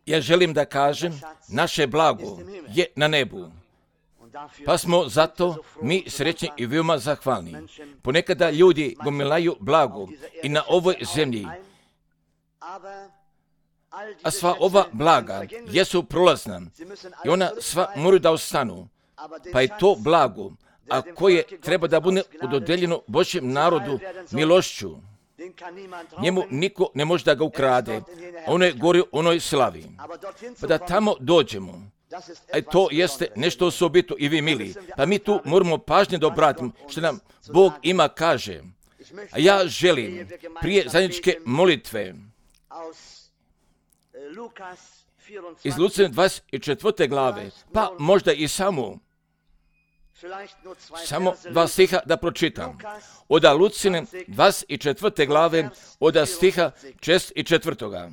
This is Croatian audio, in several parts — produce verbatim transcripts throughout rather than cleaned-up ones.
Ja želim da kažem, naše blago je na nebu. Pa smo zato mi srećni i veoma zahvalni. Ponekada ljudi gomilaju blago i na ovoj zemlji, a sva ova blaga jesu prolazna i ona sva moraju da ostanu. Pa je to blago, a koje treba da bude udodeljeno Božjem narodu milošću. Njemu niko ne može da ga ukrade, a ono je gori onoj slavi. Pa da tamo dođemo, a to jeste nešto osobito i vi mili. Pa mi tu moramo pažnje da obratimo što nam Bog ima kaže. A ja želim prije zajedničke molitve iz Lucine dvadeset četvrte glave, pa možda i samo, samo dva stiha da pročitam. Od Lucine dvadeset četvrte glave, od stiha šest i četvrtoga.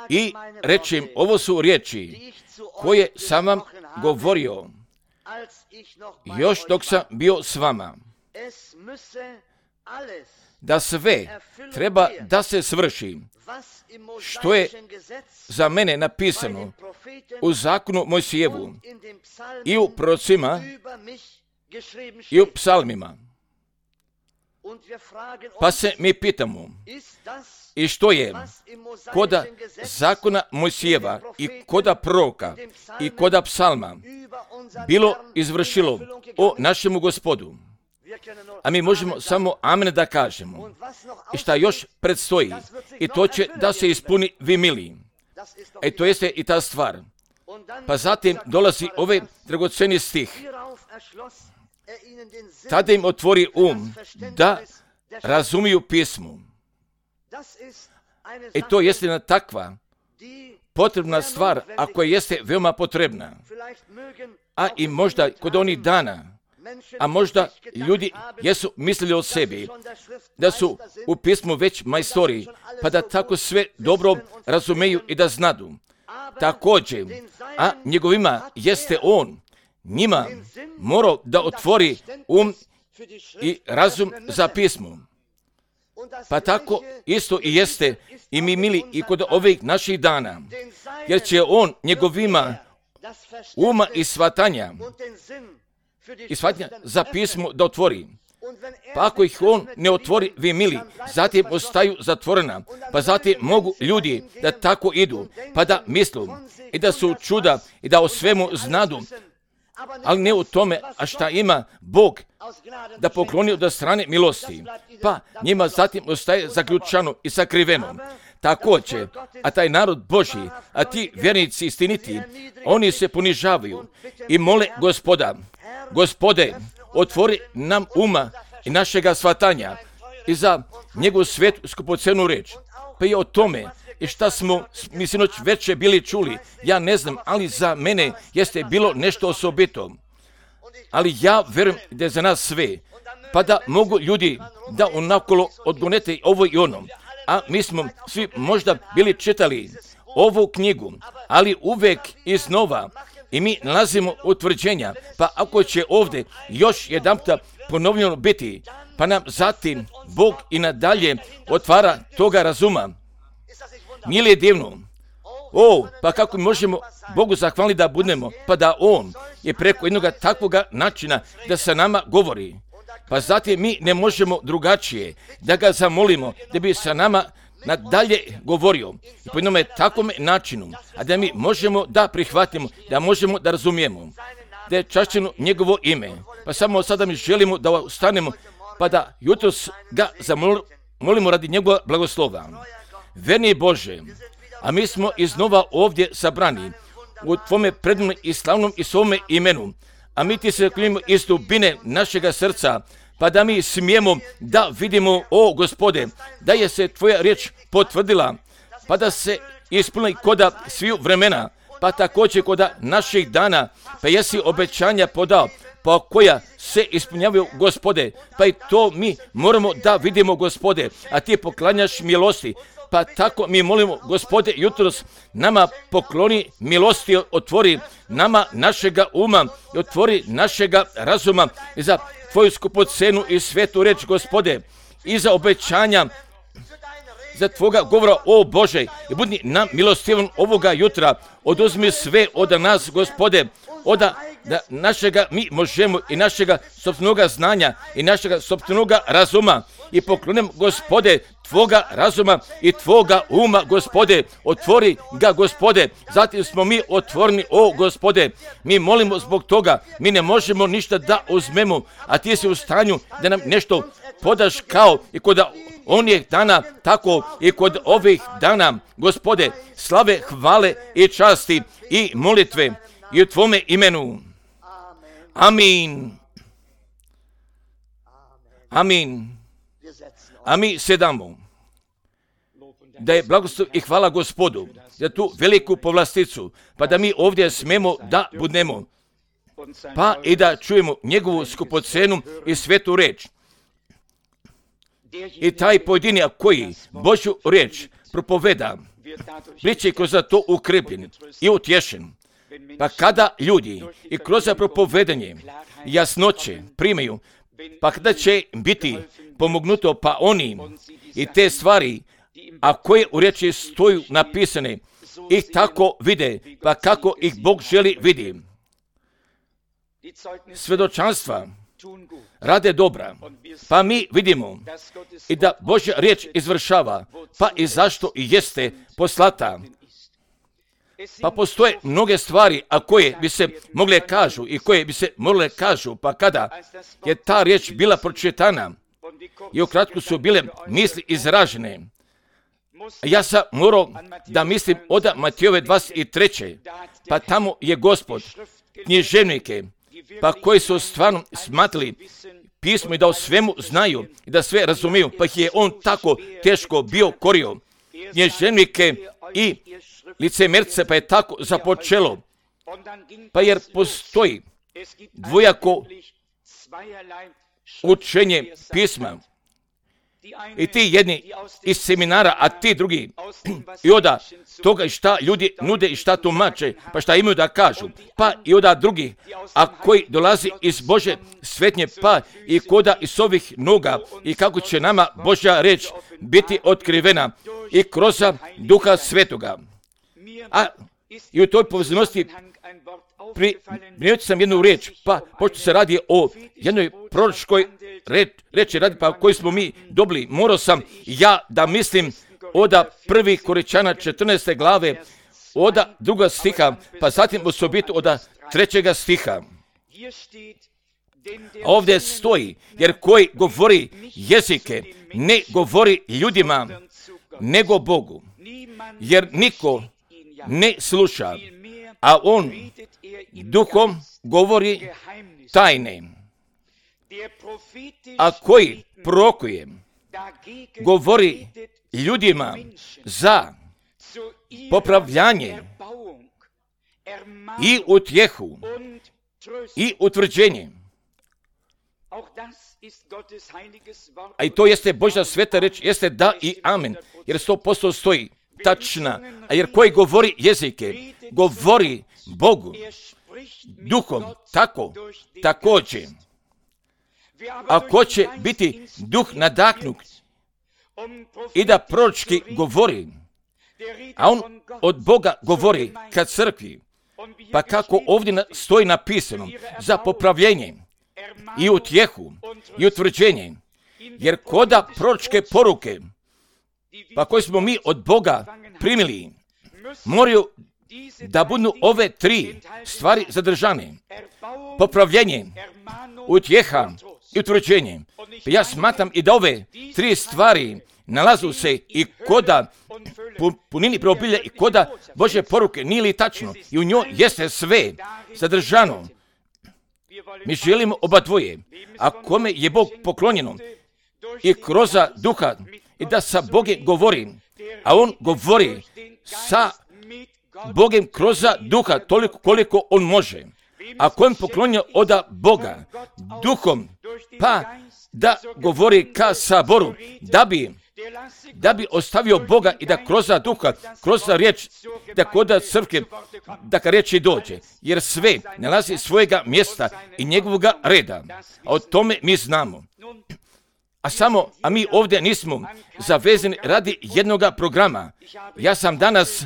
I reći im, ovo su riječi koje sam vam govorio još dok sam bio s vama, da sve treba da se svrši što je za mene napisano u zakonu Mojsijevu i u prorocima i u psalmima. Pa se mi pitamo, i što je koda zakona Mojsijeva i koda proroka i koda psalma bilo izvršilo o našemu Gospodu? A mi možemo samo amen da kažemo. I šta još predstoji, i to će da se ispuni, vi mili. E to jeste i ta stvar. Pa zatim dolazi ovaj dragoceni stih. Tada im otvori um da razumiju pismo. I to jeste jedna takva potrebna stvar, a koja jeste veoma potrebna. A i možda kod onih dana, a možda ljudi jesu mislili o sebi, da su u pismu već majstori, pa da tako sve dobro razumeju i da znadu. Također, a njegovima jeste on, njima morao da otvori um i razum za pismo. Pa tako isto i jeste i mi mili i kod ovih naših dana, jer će on njegovima uma i shvatanja i shvatanja za pismo da otvori. Pa ako ih on ne otvori, vi mili, zatim ostaju zatvorena, pa zatim mogu ljudi da tako idu, pa da mislu i da su čuda i da o svemu znadu, ali ne u tome, a šta ima Bog da pokloni od strane milosti, pa njima zatim ostaje zaključano i sakriveno. Također, a taj narod Božji, a ti vjernici istiniti, oni se ponižavaju i mole Gospoda, Gospode, otvori nam uma i našega shvatanja i za njegovu svetu skupocenu reč. Pa i o tome, i šta smo mi sinoć već bili čuli, ja ne znam, ali za mene jeste bilo nešto osobito. Ali ja vjerujem da je za nas sve, pa da mogu ljudi da onakolo odgonete ovo i ono. A mi smo svi možda bili čitali ovu knjigu, ali uvek iznova i mi nalazimo utvrđenja, pa ako će ovdje još jedanputa ponovljeno biti, pa nam zatim Bog i nadalje otvara toga razuma. Nije li je divno? O, pa kako možemo Bogu zahvaliti da budemo, pa da On je preko jednog takvog načina da sa nama govori. Pa zatim mi ne možemo drugačije da ga zamolimo da bi sa nama nadalje govorio i po jednom takvom načinu, a da mi možemo da prihvatimo, da možemo da razumijemo, da je čašćeno njegovo ime. Pa samo sada mi želimo da ustanemo, pa da jutros ga zamolimo radi njegova blagoslova. Verni Bože, a mi smo iznova ovdje sabrani u Tvome predivnom i slavnom i svome imenu, a mi Ti se klinimo iz dubine našega srca, pa da mi smijemo da vidimo, o Gospode, da je se Tvoja riječ potvrdila, pa da se ispuni koda sviju vremena, pa također koda naših dana, pa jesi obećanja podao, pa koja se ispunjavaju, Gospode, pa i to mi moramo da vidimo, Gospode, a Ti poklanjaš milosti. Pa tako mi molimo, Gospode, jutros nama pokloni milosti, otvori nama našega uma i otvori našega razuma i za Tvoju skupocenu i svetu reč, Gospode, i za obećanja za Tvoga govora, o Bože, i budi nam milostivan ovoga jutra. Oduzmi sve od nas, Gospode, od da našega mi možemo i našega sopstvenoga znanja i našega sopstvenoga razuma i poklonem, Gospode, Tvoga razuma i Tvoga uma, Gospode, otvori ga, Gospode. Zatim smo mi otvoreni, o Gospode, mi molimo zbog toga, mi ne možemo ništa da uzmemo, a Ti si u stanju da nam nešto podaš kao i kod onih dana, tako i kod ovih dana, Gospode, slave, hvale i časti i molitve i u Tvome imenu. Amin. Amin. A mi sedamo. Da je blagoslov i hvala Gospodu za tu veliku povlasticu, pa da mi ovdje smemo da budemo, pa i da čujemo njegovu skupocenu i svetu reč. I taj pojedinja koji Božju reč propoveda, bit će kroz to ukrepljen i utješen. Pa kada ljudi i kroz propovedanje jasnoće primaju, pa kada će biti pomognuto, pa oni i te stvari, a koje u riječi stoju napisane, ih tako vide, pa kako ih Bog želi vidi. Svedočanstva rade dobra, pa mi vidimo i da Božja riječ izvršava, pa i zašto i jeste poslata. Pa postoje mnoge stvari, a koje bi se mogle kažu i koje bi se mogle kažu, pa kada je ta riječ bila pročitana i ukratko su bile misli izražene, ja sam morao da mislim od Matejove dvadeset treće pa tamo je Gospod književnike, pa koji su stvarno smatrali pismo i da o svemu znaju i da sve razumiju, pa ih je on tako teško bio korio. Književnike i licemerce, pa je tako započelo. Pa jer postoji dvojako učenje pisma. I ti jedni iz seminara, a ti drugi i oda toga šta ljudi nude i šta tumače, pa šta imaju da kažu. Pa i oda drugi, a koji dolazi iz Bože svetnje, pa i koda iz ovih noga i kako će nama Božja reč biti otkrivena i kroz Duha Svetoga. A i u toj povezanosti primijetio sam jednu riječ, pa pošto se radi o jednoj proročkoj reči, radi pa koju smo mi dobili, morao sam ja da mislim oda prvi Koričana četrnaeste glave, oda druga stiha, pa zatim osobito oda trećega stiha. Ovdje stoji, jer koji govori jezike, ne govori ljudima, nego Bogu, jer niko ne sluša, a on duhom govori tajne. A koji prorokuje, govori ljudima za popravljanje i utjehu i utvrđenje. A i to jeste Božja sveta reč, jeste da i amen, jer sto posto stoji tačna, a jer koji govori jezike, govori Bogu, duhom, tako, također. A ko će biti duh nadahnut i da proročki govori, a on od Boga govori kad crkvi, pa kako ovdje stoji napisano, za popravljenje i utjehu i utvrđenje, jer koda proročke poruke, pa koje smo mi od Boga primili, moraju da budu ove tri stvari zadržane. Popravljenje, utjeha i utvrđenje. Pa ja smatram i da ove tri stvari nalazu se i koda punini preobilja i koda Božje poruke, nije li tačno? I u njoj jeste sve zadržano. Mi želimo oba dvoje, a kome je Bog poklonjeno i kroz duha i da sa Bogom govori, a on govori sa Bogom kroz duha toliko koliko on može. A kojem poklonio od Boga duhom, pa da govori ka saboru, da bi, da bi ostavio Boga i da kroz duha, kroz riječ, da kod crkve, da ka riječi dođe. Jer sve nalazi svojega mjesta i njegovoga reda. A o tome mi znamo. a samo, a mi ovdje nismo zavezani radi jednoga programa. Ja sam danas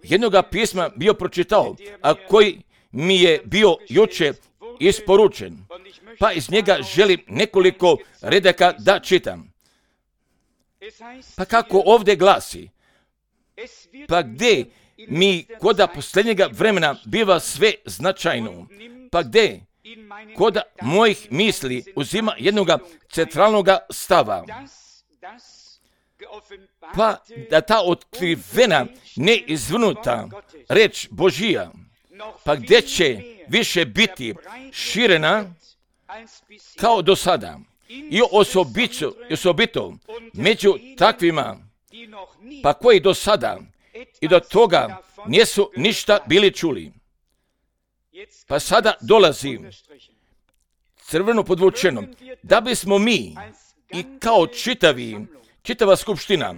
jednoga pisma bio pročitao, a koji mi je bio juče isporučen, pa iz njega želim nekoliko redaka da čitam. Pa kako ovdje glasi, pa gdje mi koda posljednjega vremena biva sve značajno, pa gdje koda mojih misli uzima jednoga centralnoga stava, pa da ta otkrivena, neizvrnuta reč Božija, pa gdje će više biti širena kao do sada i osobito, osobito među takvima, pa koji do sada i do toga nisu ništa bili čuli. Pa sada dolazi crveno podvučeno, da bismo mi i kao čitavi, čitava skupština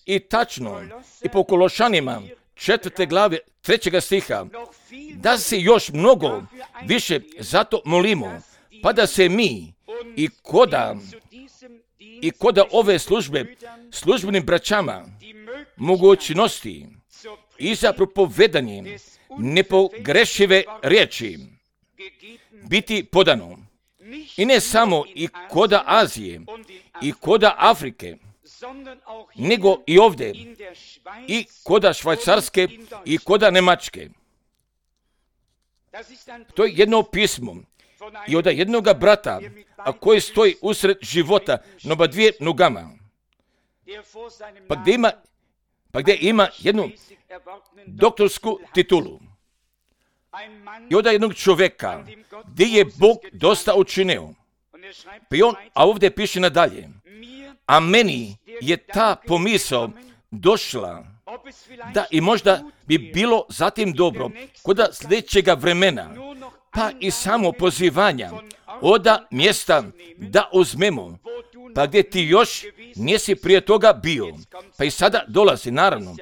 i tačno i po Kološanima četvrte glave trećega stiha, da se još mnogo više zato molimo, pa da se mi i koda i koda ove službe službenim braćama mogućnosti i za propovedanje nepogrešive riječi biti podano. I ne samo i koda Azije i koda Afrike, nego i ovdje i koda Švajcarske i koda Njemačke. To je jedno pismo i od jednoga brata, a koji stoji usred života na oba dvije nogama, pa gdje ima, pa gdje ima jednu doktorsku titulu. I od jednog čovjeka gdje je Bog dosta učinio. Pa on, a ovdje piše nadalje, a meni je ta pomisao došla da i možda bi bilo zatim dobro kod sljedećega vremena, pa i samo pozivanja oda mjesta da uzmemo, pa gdje ti još nisi prije toga bio, pa i sada dolazi naravno,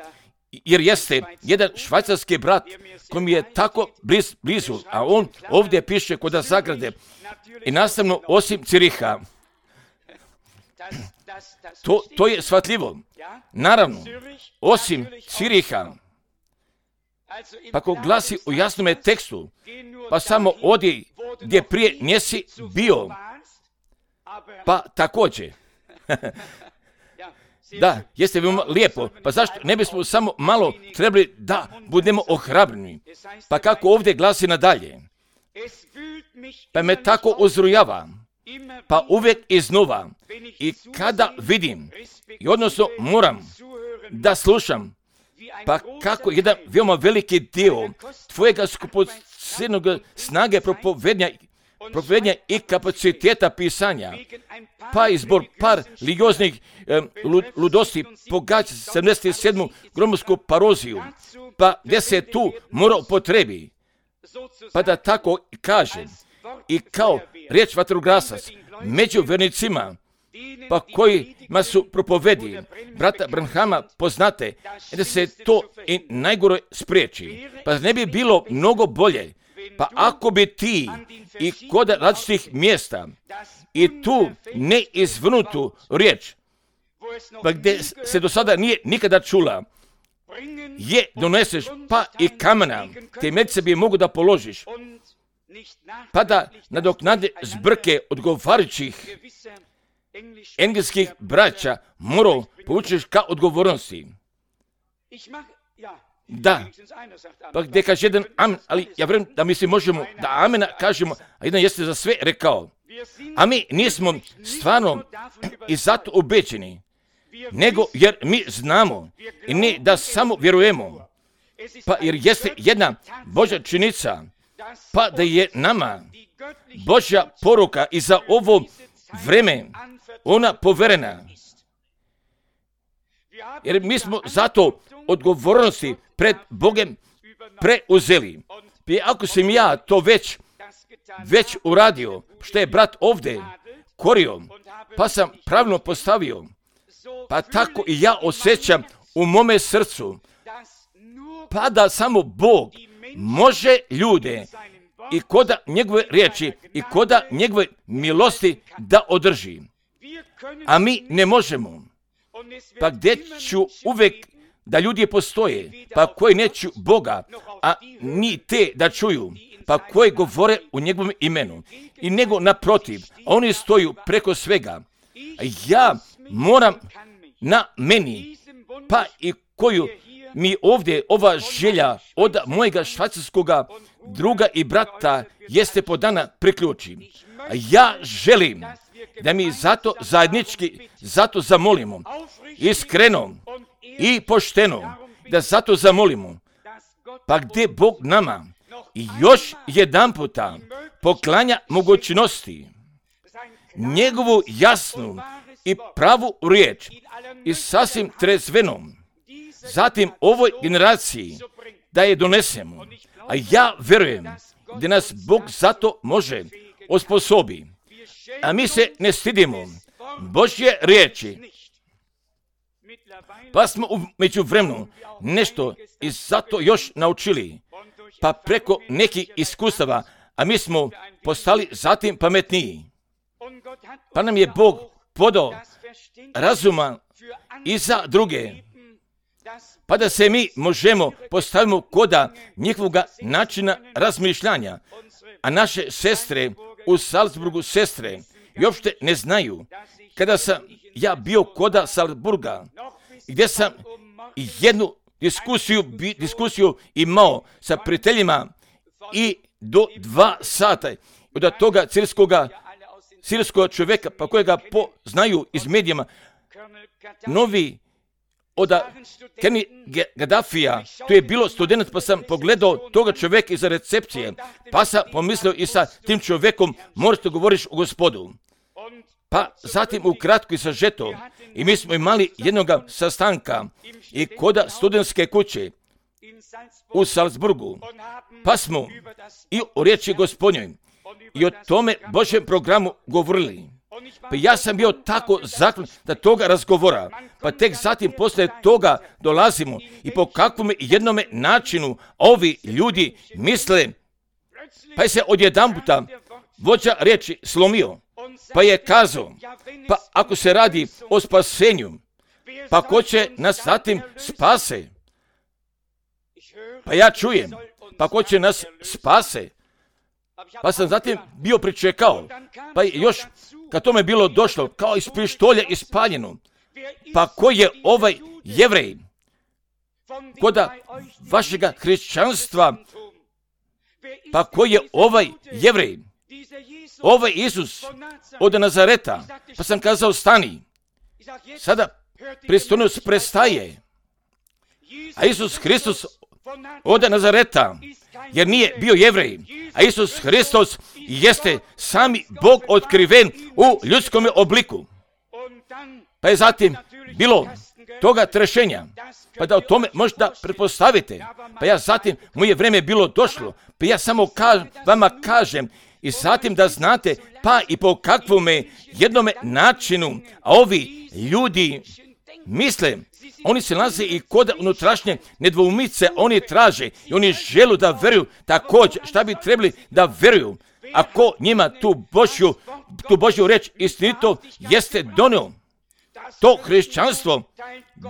jer jeste jedan švajcarski brat koji mi je tako bliz, blizu, a on ovdje piše kod Zagrade i nastavno osim Ciriha. To, to je shvatljivo. Naravno, osim Ciriha, pa ko glasi u jasnome tekstu, pa samo odi gdje prije nisi bio, pa također. Da, jeste veoma lijepo, pa zašto ne bismo samo malo trebali da budemo ohrabreni? Pa kako ovdje glasi nadalje, pa me tako uzrujava, pa uvijek iznova, i kada vidim, i odnosno moram da slušam, pa kako jedan veoma veliki dio tvojega skupocjenog snage propovednja, propovednja i kapaciteta pisanja, pa i zbog par religioznih eh, ludosti pogađa sedamdeset sedmu gromovsku paroziju, pa gdje se tu mora upotrebi, pa da tako kažem, i kao riječ vatrogasac među vernicima, pa kojima su propovedi brata Branhama poznate, da se to i najgore spriječi. Pa ne bi bilo mnogo bolje, pa ako bi ti i kod različitih mjesta i tu neizvrnutu riječ, pa gdje se do sada nije nikada čula, je doneseš, pa i kamena, temeljce bi mogu da položiš, pa da nadoknade zbrke odgovarajućih engleskih braća morao povučeš ka odgovornosti. Da, pa gdje kaže jedan amen, ali ja vjerujem da mi se možemo da amena kažemo, a jedan jeste za sve rekao. A mi nismo stvarno i zato obećeni, nego jer mi znamo i ne da samo vjerujemo, pa jer jeste jedna Božja činjenica, pa da je nama Božja poruka i za ovo vreme ona poverena. Jer mi smo zato odgovornosti pred Bogom preuzeli. I ako sam ja to već, već uradio, što je brat ovdje korio, pa sam pravilno postavio, pa tako i ja osjećam u mome srcu, pa da samo Bog može ljude i koda njegove riječi i koda njegove milosti da održi. a mi ne možemo. Pa gdje ću uvijek da ljudi postoje, pa koji neću Boga, a ni te da čuju, pa koji govore u njegovom imenu. I nego naprotiv, oni stoju preko svega. Ja moram na meni, pa i koju mi ovdje ova želja od mojega švajcarskoga druga i brata jeste podana priključim. Ja želim da mi zato zajednički, zato zamolimo, iskreno i pošteno, da zato zamolimo, pa gdje Bog nama još jedan puta poklanja mogućnosti, njegovu jasnu i pravu riječ i sasvim trezvenom, zatim ovoj generaciji da je donesemo. A ja vjerujem da nas Bog zato može osposobi. A mi se ne stidimo Božje riječi. Pa smo u međuvremenu nešto i zato još naučili. Pa preko nekih iskustava, a mi smo postali zatim pametniji. Pa nam je Bog podao razuma i za druge. Pa da se mi možemo postavimo koda njihovoga načina razmišljanja. A naše sestre u Salzburgu sestre i uopšte ne znaju. Kada sam ja bio koda Salzburga, gdje sam jednu diskusiju, diskusiju imao sa prijateljima i do dva sata od toga sirskoga, sirskog čovjeka, pa kojega poznaju iz medijama, novi od Kenny Gaddafija, to je bilo student, pa sam pogledao toga čovjeka iza recepcije, pa sam pomislio i sa tim čovjekom možete govoriš o Gospodu. Pa zatim ukratko i sažeto, i mi smo imali jednog sastanka i koda studentske kuće u Salzburgu, pa smo i o riječi Gospodnjoj i o tome Božjem programu govorili. Pa ja sam bio tako zaklan da toga razgovora, pa tek zatim poslije toga dolazimo i po kakvom jednome načinu ovi ljudi misle, pa je se odjedanputa vođa riječi slomio, pa je kazao, pa ako se radi o spasenju, pa ko će nas zatim spase? Pa ja čujem, pa ko će nas spase? Pa sam zatim bio pričekao, pa je još kad tome bilo došlo, kao iz pištolja ispaljeno, pa ko je ovaj Jevrej, koda vašega hrišćanstva, pa ko je ovaj Jevrej, ovaj Isus od Nazareta, pa sam kazao stani, sada pristojnost prestaje, a Isus Hristos od Nazareta, jer nije bio Jevrej, a Isus Hristos jeste sami Bog otkriven u ljudskom obliku. Pa je zatim bilo toga trešenja, pa da o tome možda pretpostavite. Pa ja zatim, moje vrijeme bilo došlo, pa ja samo kaž, vama kažem i zatim da znate, pa i po kakvome jednome načinu, a ovi ljudi misle, oni se nalaze i kod unutrašnje nedvoumice, oni traže i oni žele da vjeruju također šta bi trebali da vjeruju. Ako njima tu Božju, tu Božju reč istinito jeste donio, to hrišćanstvo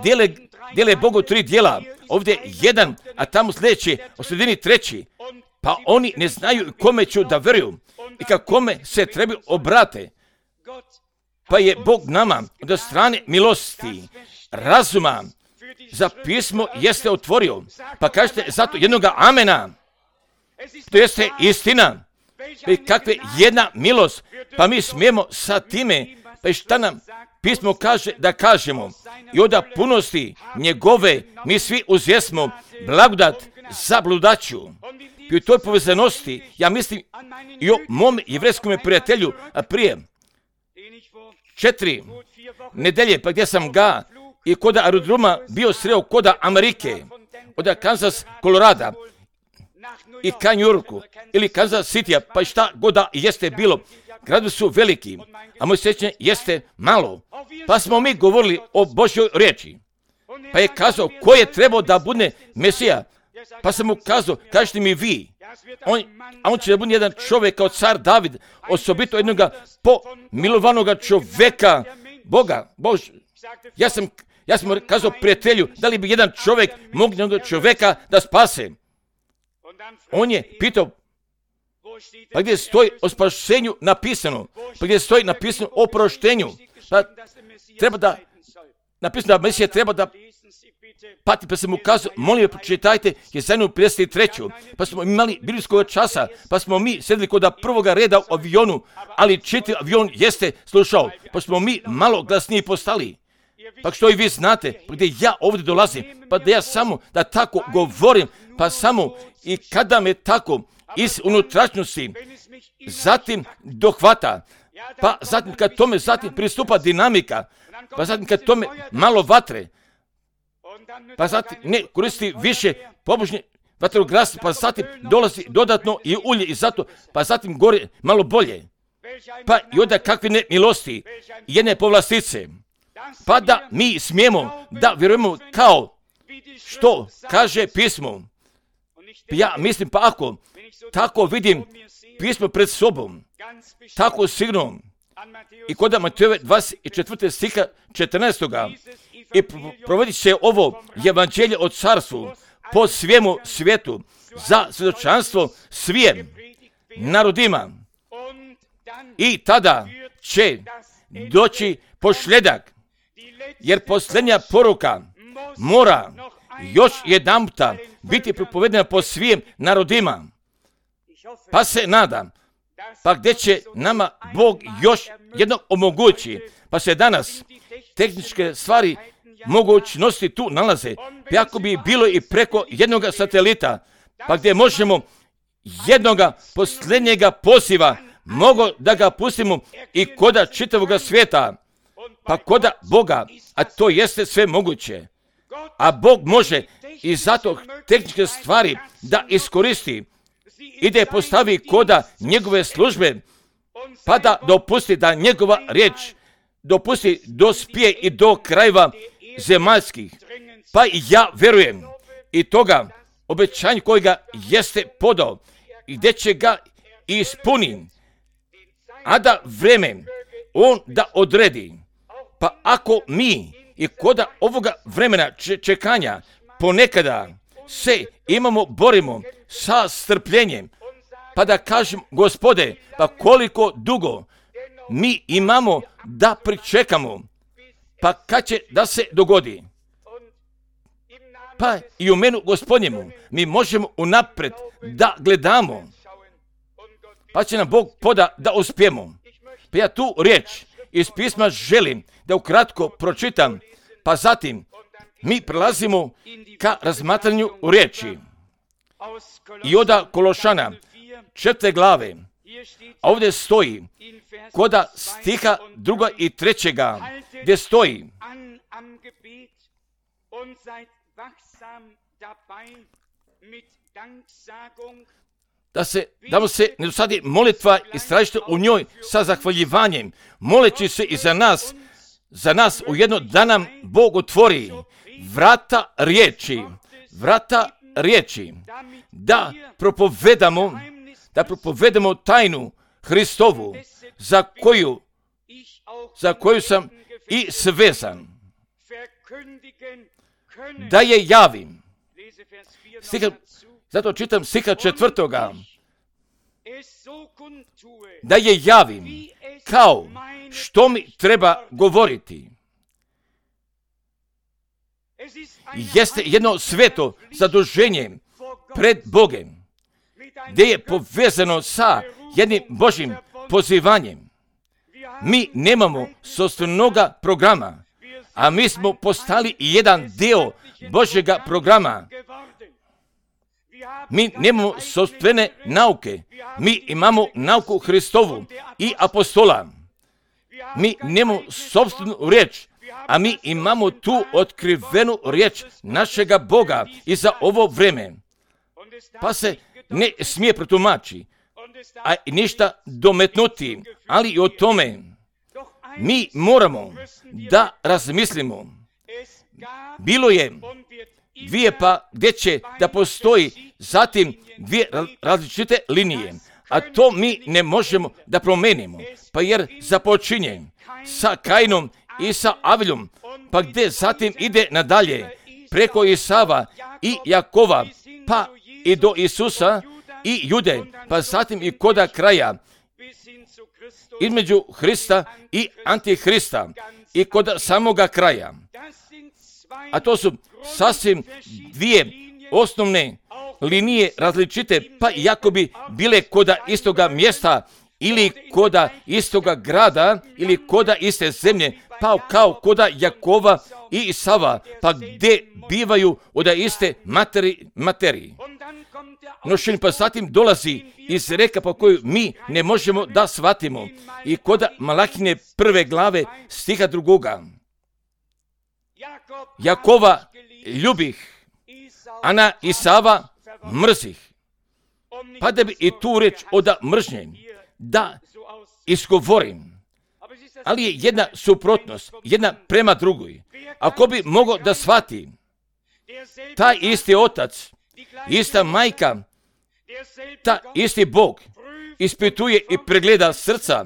dijele, dijele Bogu tri dijela, ovdje jedan, a tamo sljedeći, u sredini treći, pa oni ne znaju kome ću da vjeruju i kakome se treba obrate. Pa je Bog nama od strane milosti, razuma, za pismo jeste otvorio. Pa kažete zato jednoga amena. To jeste istina. Pa kakve jedna milost. Pa mi smijemo sa time, pa i šta nam pismo kaže da kažemo. I od punosti njegove mi svi uzjesmo blagodat za bludaću. I u toj povezanosti, ja mislim i o mom jevrejskom prijatelju, a prije četiri nedelje, pa gdje sam ga i kod aerodroma bio sreo kod Amerike, od Kansas, Kolorada i ka New Yorku ili Kansas City, pa šta god da jeste bilo. Gradovi su veliki, a moj sjećanje jeste malo. Pa smo mi govorili o Božjoj riječi. Pa je kazao ko je trebao da bude Mesija. Pa sam mu kazao, kažete mi vi. On, a on će da bude jedan čovjek kao car David, osobito jednog pomilovanog čovjeka Boga, Bož, ja sam, ja sam mu kazao prijatelju, da li bi jedan čovjek mogu jednog čovjeka da spase? On je pitao, pa gdje stoji o spašenju napisano? Pa gdje stoji napisano o proštenju? Pa treba da, napisano da Mesija treba da pati, pa sam mu kazao, molim, pročitajte Jesaiju pedeset tri. Pa smo imali biblijskog časa, pa smo mi sedeli kod prvoga reda u avionu, ali čitav avion jeste slušao, pa smo mi malo glasniji postali. Pa što i vi znate, pa gdje ja ovdje dolazim, pa da ja samo da tako govorim, pa samo i kada me tako iz unutrašnjosti zatim dohvata, pa zatim kad tome zatim pristupa dinamika, pa zatim kad tome malo vatre, pa zatim ne koristi više pobožnje vatroglas, pa zatim dolazi dodatno i ulje i zato, pa zatim gore malo bolje. Pa i onda kakve ne milosti, jedne povlastice, pa da mi smijemo da vjerujemo kao što kaže pismo. Ja mislim, pa ako tako vidim pismo pred sobom, tako sigurno, i kod Matejove dvadeset četvrtog stiha četrnaestog i provodi se ovo evanđelje o carstvu po svijemu svijetu za svjedočanstvo svim narodima. I tada će doći posljedak, jer posljednja poruka mora još jedanputa biti propovedena po svim narodima. Pa se nadam, pa gdje će nama Bog još jedno omogući, pa se danas tehničke stvari mogućnosti tu nalaze, pa ako bi bilo i preko jednog satelita, pa gdje možemo jednoga posljednjega poziva, mogo da ga pustimo i koda čitavoga svijeta, pa koda Boga, a to jeste sve moguće. A Bog može i zato tehničke stvari da iskoristi i da je postavi koda njegove službe, pa da dopusti da njegova riječ dopusti dospije i do krajeva zemaljskih. Pa i ja vjerujem i toga obećanja kojega jeste podao i gdje će ga ispuniti, a da vreme on da odredi. Pa ako mi i koda ovoga vremena čekanja ponekada se imamo, borimo sa strpljenjem, pa da kažem, Gospode, pa koliko dugo mi imamo da pričekamo, pa kad će da se dogodi? Pa i u menu Gospodnjemu mi možemo unaprijed da gledamo, pa će nam Bog poda da uspijemo. Pa ja tu riječ iz pisma želim da ukratko pročitam, pa zatim mi prelazimo ka razmatranju riječi. I oda Kološana, četvrte glave, a ovdje stoji koda stiha druga i trećega, gdje stoji: da se, da mu se ne dosadi molitva i stražite u njoj sa zahvaljivanjem, moleći se i za nas, za nas u jedno da nam Bog otvori vrata riječi, vrata riječi, da propovedamo, da propovedamo tajnu Hristovu, za koju, za koju sam i svezan, da je javim. Stiha, zato čitam stiha četvrtoga, da je javim kao što mi treba govoriti. Jeste jedno sveto zaduženje pred Bogem, gdje je povezano sa jednim Božjim pozivanjem. Mi nemamo sopstvenoga programa, a mi smo postali jedan dio Božjega programa. Mi nemamo sopstvene nauke, mi imamo nauku Hristovu i apostola. Mi nemamo sopstvenu riječ, a mi imamo tu otkrivenu riječ našega Boga i za ovo vreme. Pa se ne smije protumači, a ništa dometnuti, ali i o tome mi moramo da razmislimo. Bilo je dvije pa gdje će da postoji zatim dvije različite linije, a to mi ne možemo da promenimo, pa jer započinje sa Kainom i sa Avilom, pa gdje zatim ide nadalje preko Isava i Jakova, pa i do Isusa i Jude, pa zatim i koda kraja, između Hrista i Antihrista i kod samoga kraja. A to su sasvim dvije osnovne linije različite, pa iako bi bile koda istoga mjesta ili koda istoga grada ili koda iste zemlje, pa kao koda Jakova i Isava, pa gdje bivaju od iste materi, materiji. No što pa zatim dolazi iz reka po koju mi ne možemo da shvatimo i koda Malahine prve glave stiha drugoga. Jakova ljubih, a na Isava mrzih. Pa da bi i tu reč od mržnje da izgovorim. Ali je jedna suprotnost, jedna prema drugoj. Ako bi mogao da shvati, taj isti otac, ista majka, ta isti Bog ispituje i pregleda srca,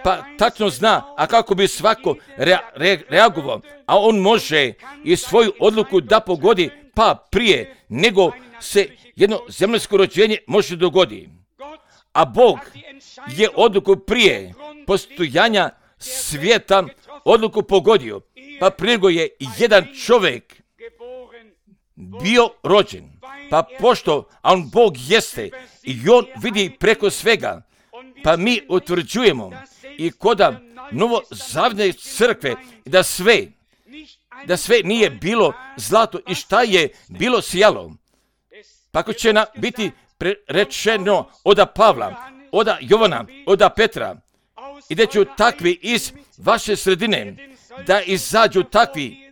pa tačno zna, a kako bi svako rea, re, reagovao, a on može i svoju odluku da pogodi, pa prije nego se jedno zemaljsko rođenje može dogoditi. A Bog je odluku prije postojanja svijeta odluku pogodio, pa prije nego je jedan čovjek bio rođen. Pa pošto on Bog jeste i on vidi preko svega, pa mi utvrđujemo i koda novozavne crkve da sve, da sve nije bilo zlato i šta je bilo sjalo. Pa ako će nam biti rečeno oda Pavla, oda Jovana, oda Petra, i da će takvi iz vaše sredine da izađu takvi,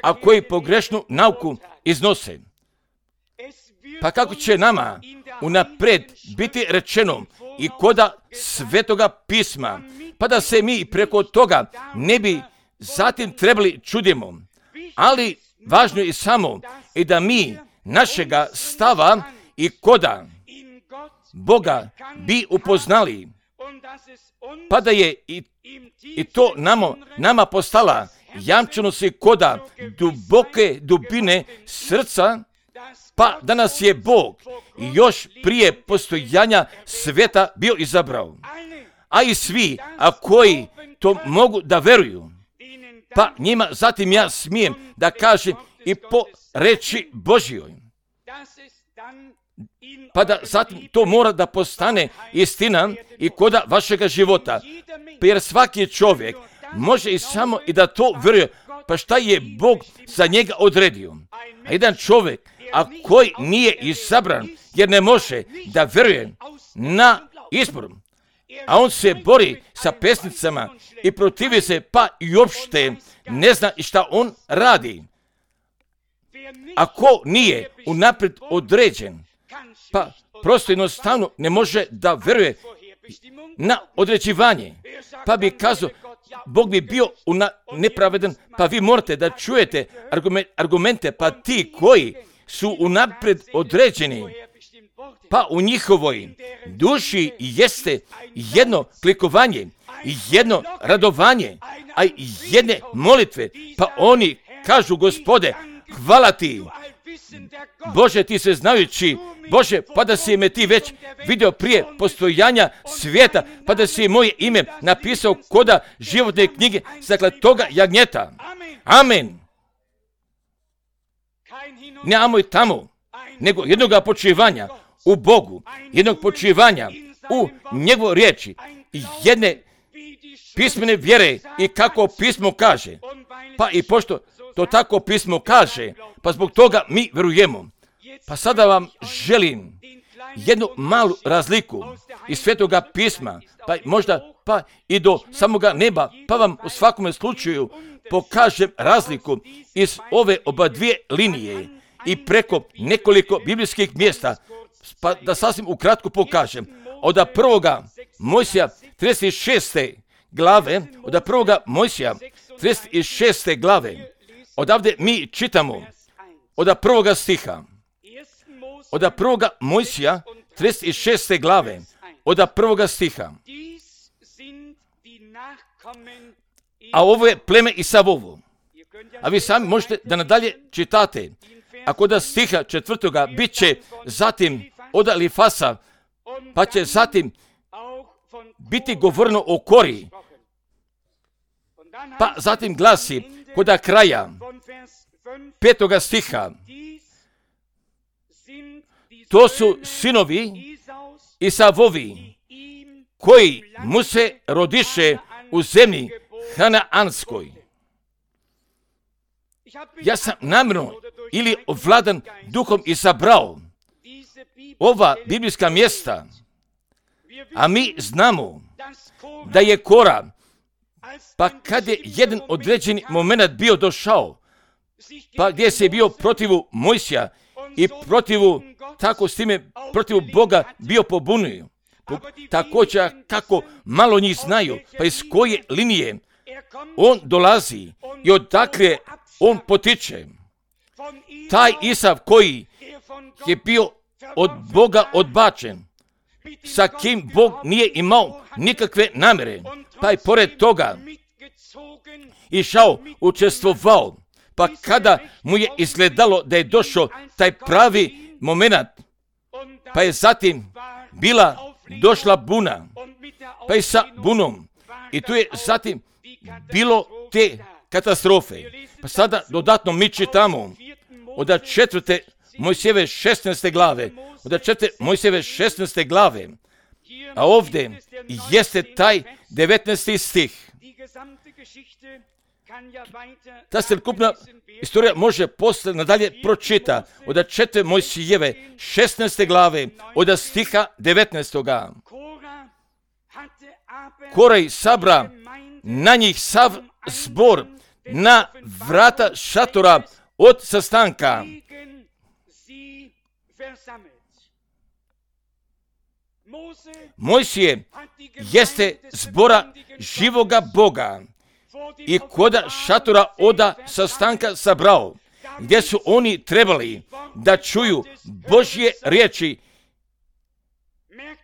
a koji pogrešnu nauku iznose. Pa kako će nama unapred biti rečeno i koda Svetoga pisma, pa da se mi preko toga ne bi zatim trebali čudimo. Ali važno je samo i da mi našega stava i koda Boga bi upoznali, pa da je i, i to nama, nama postala jamčeno se koda duboke dubine srca, pa da nas je Bog još prije postojanja sveta bio izabrao. A i svi, a koji to mogu da veruju, pa njima zatim ja smijem da kažem i po reči Božjoj, pa da zatim to mora da postane istina i koda vašega života. Jer svaki čovjek može i samo i da to veruje, pa šta je Bog za njega odredio. A jedan čovjek, a koji nije izabran, jer ne može da veruje na izbor, a on se bori sa pesnicama i protivi se, pa i uopšte ne zna i šta on radi. Ako nije unaprijed određen, pa prosto jednostavno ne može da veruje na određivanje, pa bi kazao, Bog bi bio una, nepravedan, pa vi morate da čujete argumente, pa ti koji su unaprijed određeni, pa u njihovoj duši jeste jedno klikovanje, jedno radovanje, a jedne molitve, pa oni kažu, Gospode, hvala ti, Bože, ti se znajući, Bože, pa da si me ti već vidio prije postojanja svijeta, pa da si moje ime napisao koda životne knjige zakle toga jagnjeta. Amen. Ne amo i tamo, nego jednoga počivanja u Bogu, jednog počivanja u njegovu riječi, jedne pismene vjere i kako pismo kaže. Pa i pošto to tako pismo kaže, pa zbog toga mi verujemo. Pa sada vam želim jednu malu razliku iz Svetoga pisma, pa možda pa i do samoga neba, pa vam u svakom slučaju pokažem razliku iz ove oba dvije linije i preko nekoliko biblijskih mjesta, pa da sasvim ukratko pokažem. Od prvoga Mojsija trideset šeste glave, od prvoga Mojsija trideset šeste glave, odavde mi čitamo od prvoga stiha. Od prvoga Mojsija trideset šeste glave, od prvoga stiha. a ovo je pleme Isavovo. A vi sami možete da nadalje čitate. A kod stiha četvrtoga bit će zatim od Elifasa, pa će zatim biti govorno o Kori. Pa zatim glasi kod kraja petoga stiha: to su sinovi Isavovi koji mu se rodiše u zemlji Hanaanskoj. Ja sam namjerno ili ovladan duhom izabrao ova biblijska mjesta, a mi znamo da je Kora, pa kad je jedan određeni moment bio došao, pa gdje se bio protivu Mojsija i protivu, tako s time, protivu Boga bio pobunio. Također kako malo njih znaju, pa iz koje linije on dolazi i odakle on potiče. Taj Isav koji je bio od Boga odbačen, sa kim Bog nije imao nikakve namjere, pa je pored toga išao, učestvovao, pa kada mu je izgledalo da je došao taj pravi moment, pa je zatim bila došla buna, pa i sa bunom, i tu je zatim bilo te katastrofe. Pa sada dodatno mi čitamo od četvrte Mojsijeve šesnaeste glave, od četvrte Mojsijeve šesnaeste glave, a ovdje jeste taj devetnaesti stih. Ta celokupna istorija može posle nadalje pročita od četvrte Mojsijeve šesnaeste glave, od stiha devetnaestoga. Korej sabra na njih sav zbor na vrata šatora od sastanka. Mojsije jeste zbora živoga Boga i koda šatora oda sastanka sabrao, gdje su oni trebali da čuju Božje riječi.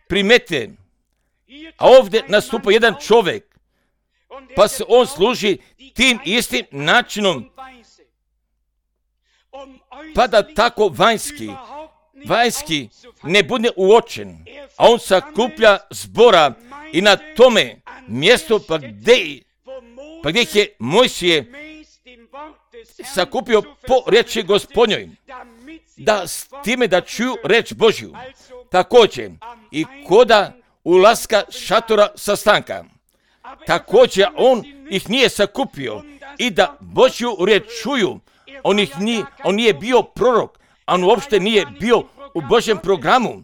Primete, a ovdje nastupa jedan čovjek, pa se on služi tim istim načinom, pa da tako vanjski, vanjski ne bude uočen, a on sakuplja zbora i na tome mjesto pa gdje, pa gdje je Mojsije sakupio po riječi Gospodnjoj, da s time da čuju reč Božju, također i koda ulaska šatora sastanka. Također on ih nije sakupio i da Božju riječ čuju, on, ih nije, on nije bio prorok, on uopšte nije bio u Božjem programu,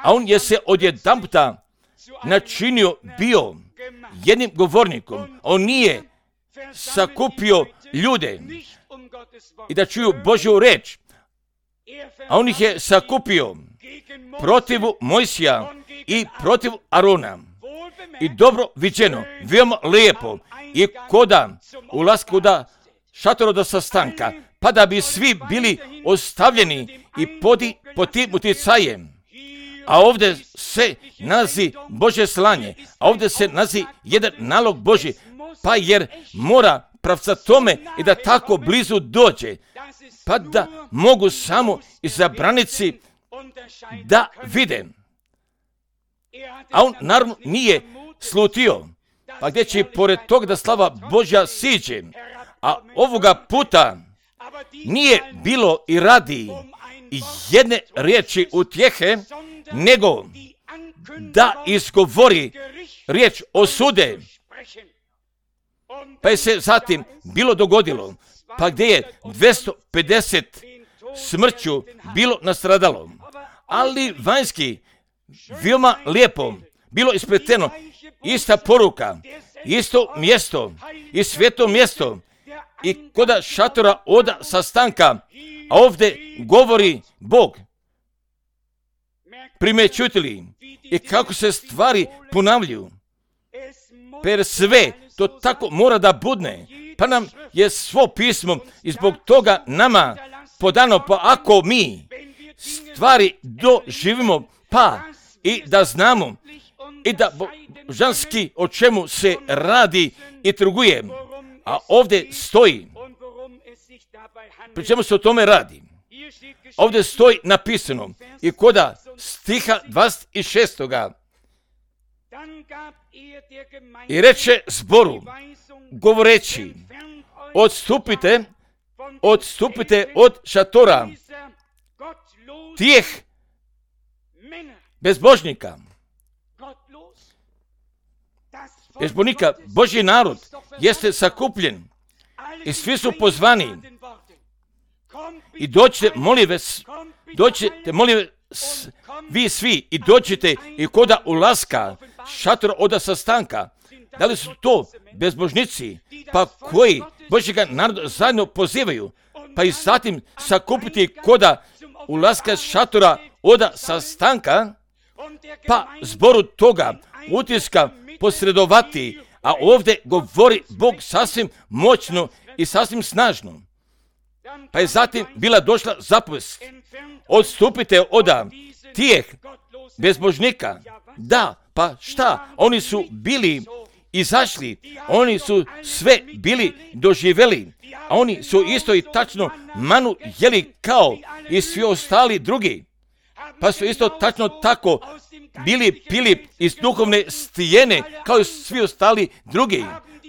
a on je se odjedanputa načinio bio jednim govornikom. On nije sakupio ljude i da čuju Božju reč, a on ih je sakupio protiv Mojsija i protiv Arona. I dobro viđeno, veoma lijepo, i koda ulaska da šatora do sastanka, pa da bi svi bili ostavljeni i podi, pod tim uticajem. A ovdje se nalazi Božje slanje, a ovdje se nalazi jedan nalog Božji, pa jer mora pravca tome i da tako blizu dođe, pa da mogu samo izabranici da vide. A on naravno nije slutio, pa gdje će pored toga da slava Božja siđe, a ovoga puta nije bilo i radi jedne riječi utjehe, nego da izgovori riječ osude. Pa je se zatim bilo dogodilo, pa gdje je dvjesto pedeset smrću bilo nastradalo, ali vanjski veoma lijepo bilo ispleteno, ista poruka, isto mjesto i sveto mjesto i koda šatora oda sastanka, a ovdje govori Bog. Primećujete i kako se stvari ponavljaju, per sve to tako mora da budne, pa nam je svo pismo i zbog toga nama podano, pa ako mi stvari doživimo, pa i da znamo i da božanski o čemu se radi i trguje. A ovdje stoji, pri čemu se o tome radi. Ovdje stoji napisano i koda stiha dvadeset šest. I reče zboru, govoreći, odstupite, odstupite od šatora tijeh bezbožnika. Bezbožnika, Božji narod jeste sakupljen i svi su pozvani. I dođite, molim vas, dođite, molim vas, vi svi, i dođite i koda ulaska šatora oda sastanka. Da li su to bezbožnici, pa koji Božjega naroda zajedno pozivaju, pa i zatim sakupiti koda ulaska šatora oda sastanka, pa zboru toga utiska posredovati, a ovdje govori Bog sasvim moćno i sasvim snažno. Pa je zatim bila došla zapovest, odstupite oda tijeh bezbožnika. Da, pa šta? Oni su bili izašli, oni su sve bili doživjeli, a oni su isto i tačno manu jeli kao i svi ostali drugi. Pa su isto tačno tako bili pili iz duhovne stijene kao i svi ostali drugi.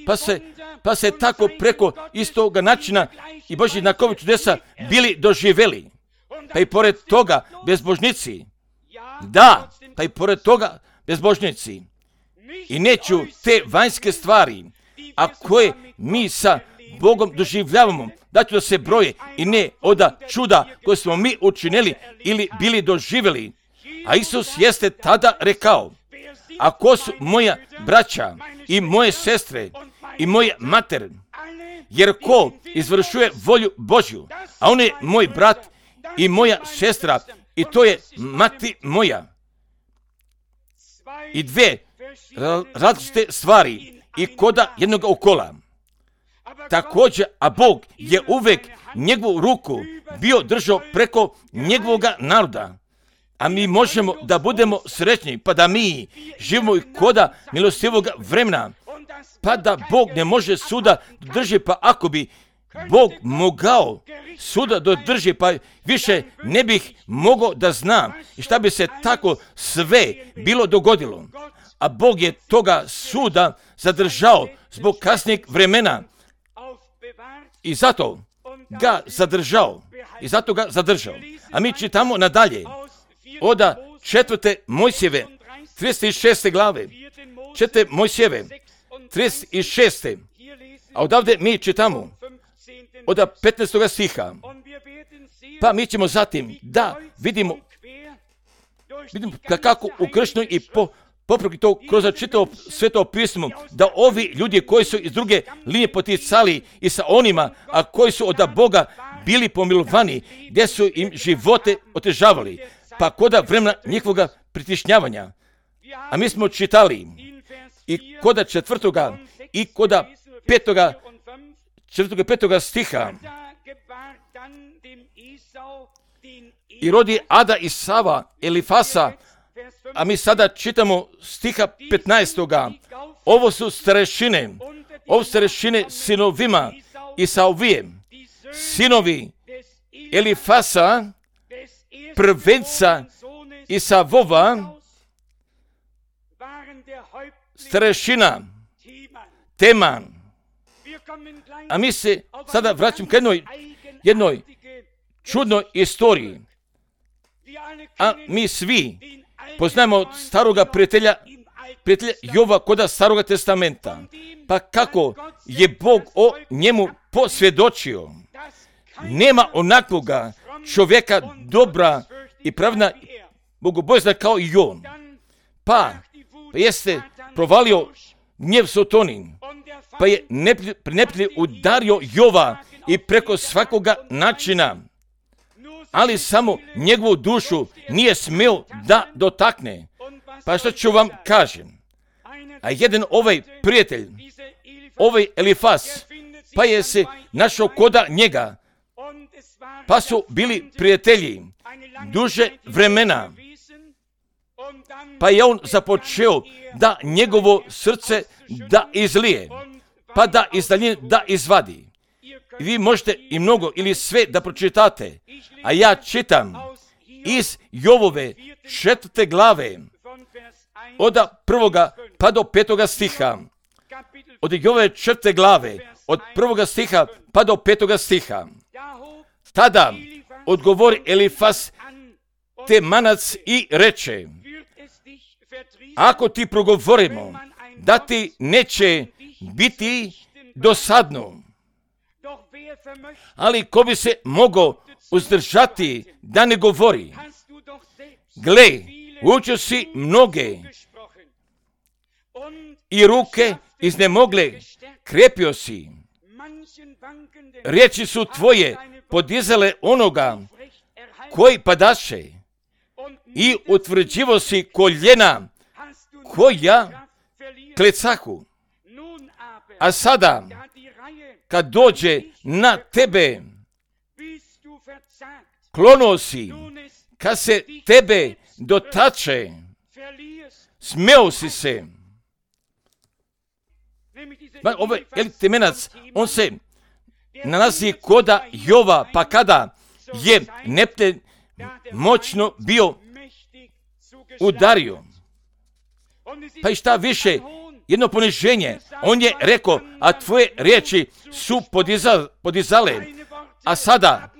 Pa se, pa se tako preko istoga načina i Božji znakovi čudesa bili doživjeli. Pa i pored toga bezbožnici. Da, pa i pored toga bezbožnici. I neću te vanjske stvari, a koje mi sa Bogom doživljavamo, da ću da se broje i ne oda čuda koje smo mi učinili ili bili doživjeli. A Isus jeste tada rekao, ako su moja braća i moje sestre i moje mater, jer ko izvršuje volju Božju, a on je moj brat i moja sestra i to je mati moja. I dve različite stvari i koda jednog okola. Također, a Bog je uvek njegovu ruku bio držao preko njegovoga naroda. A mi možemo da budemo srećni, pa da mi živimo i koda milostivog vremena, pa da Bog ne može suda drži, pa ako bi Bog mogao suda dodrži, pa više ne bih mogao da znam i šta bi se tako sve bilo dogodilo. A Bog je toga suda zadržao zbog kasnijeg vremena i zato ga zadržao. I zato ga zadržao. A mi čitamo nadalje. Oda četvrte Mojsijeve, trideset šeste glave. Četvrte Mojsijeve, trideset šeste. A odavde mi čitamo od petnaestog stiha. Pa mi ćemo zatim da vidimo, vidimo kako ukršteno i po, popreki to kroz čitavo sveto pismo, da ovi ljudi koji su iz druge linije poticali i sa onima, a koji su od Boga bili pomilovani, gdje su im živote otežavali, pa koda vremena njihovoga pritišnjavanja. A mi smo čitali i koda četvrtoga i koda petoga, četvrtoga i petoga stiha. I rodi Ada i Sava, Elifasa, a mi sada čitamo stiha petnaestoga. Ovo su starešine, ovo starešine sinovima Isaovije, sinovi Elifasa, prvenca Isavova, starešina Teman. A mi se sada vraćamo k jednoj, jednoj čudnoj istoriji. A mi svi poznajemo od staroga prijatelja, prijatelja Jova koda staroga testamenta. Pa kako je Bog o njemu posvjedočio. Nema onakvoga čovjeka dobra i pravna bogobojazna kao i on. Pa, pa jeste provalio gnjev Sotonin, pa je neprijatelj udario Jova i preko svakoga načina, ali samo njegovu dušu nije smio da dotakne. Pa što ću vam kažem? A jedan ovaj prijatelj, ovaj Elifas, pa je se našao koda njega, pa su bili prijatelji duže vremena. pa je on započeo da njegovo srce da izlije, pa da iz daljine da izvadi. Vi možete i mnogo ili sve da pročitate, a ja čitam iz Jovove četvrte glave, od prvoga pa do petoga stiha. Od Jovove četvrte glave, od prvoga stiha pa do petoga stiha. Tada odgovori Elifas Temanac i reče: ako ti progovorimo da ti neće biti dosadno, ali ko bi se mogao uzdržati da ne govori? Gle, učio si mnoge i ruke iznemogle, krepio si. Riječi su tvoje podizale onoga koji padaše i utvrđivo si koljena koja klecahu. A sada, kad dođe na tebe, klonuo si, kad se tebe dotače, smeo si se. Ovaj Temenac, on se nalazi koda Jova, pa kada je Nepten moćno bio udario. Pa i šta više, jedno poniženje, on je rekao, a tvoje riječi su podizale, podizale, a sada,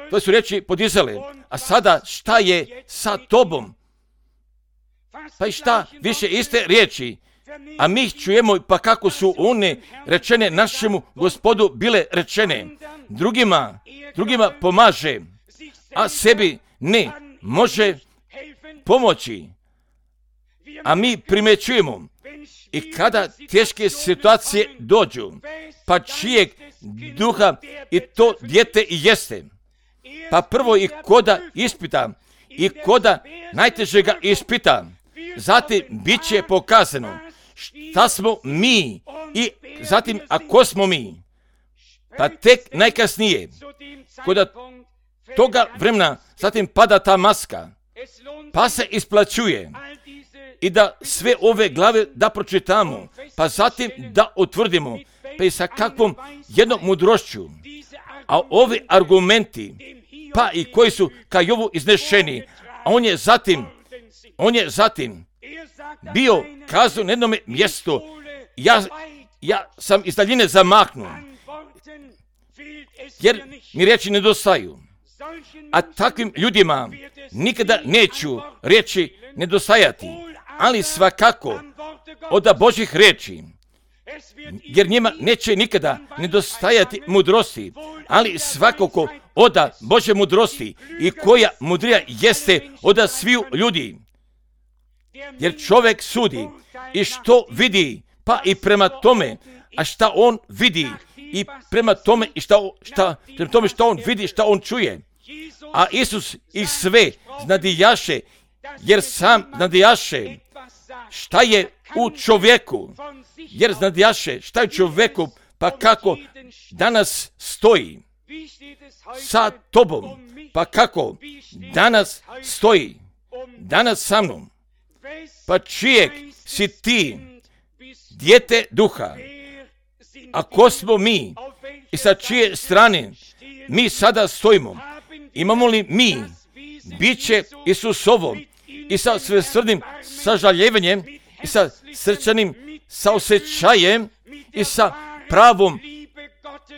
to su riječi podizale, a sada šta je sa tobom? Pa i šta više iste riječi, a mi ih čujemo pa kako su one rečene našemu Gospodu bile rečene. Drugima, drugima pomaže, a sebi ne može pomoći. A mi primećujemo i kada teške situacije dođu, pa čijeg duha i to dijete i jeste, pa prvo i koda ispita i koda najtežega ispita, zatim bit će pokazano šta smo mi i zatim ako smo mi, pa tek najkasnije koda toga vremena zatim pada ta maska, pa se isplaćuje i da sve ove glave da pročitamo, pa zatim da utvrdimo, pa i sa kakvom jednom mudrošću, a ovi argumenti, pa i koji su ka Jovu iznešeni, a on je zatim, on je zatim bio kazao na jednom mjestu, ja, ja sam iz daljine zamahnuo, jer mi riječi nedostaju. A takvim ljudima nikada neću riječi nedostajati, ali svakako od Božjih riječi, jer njima neće nikada nedostajati mudrosti, ali svakako od Božje mudrosti i koja mudrija jeste od sviju ljudi. Jer čovjek sudi i što vidi, pa i prema tome, a šta on vidi i prema tome i šta, šta, prema tome šta on vidi, šta on čuje. A Isus ih sve znadijaše, jer sam znadijaše šta je u čovjeku, jer znadijaše šta je u čovjeku, pa kako danas stoji sa tobom, pa kako danas stoji, danas sa mnom, pa čijeg si ti dijete duha, a ko smo mi i sa čije strane mi sada stojimo, imamo li mi biće Isusovo i sa svesrdnim sažaljevanjem i sa srčanim saosjećajem i sa pravom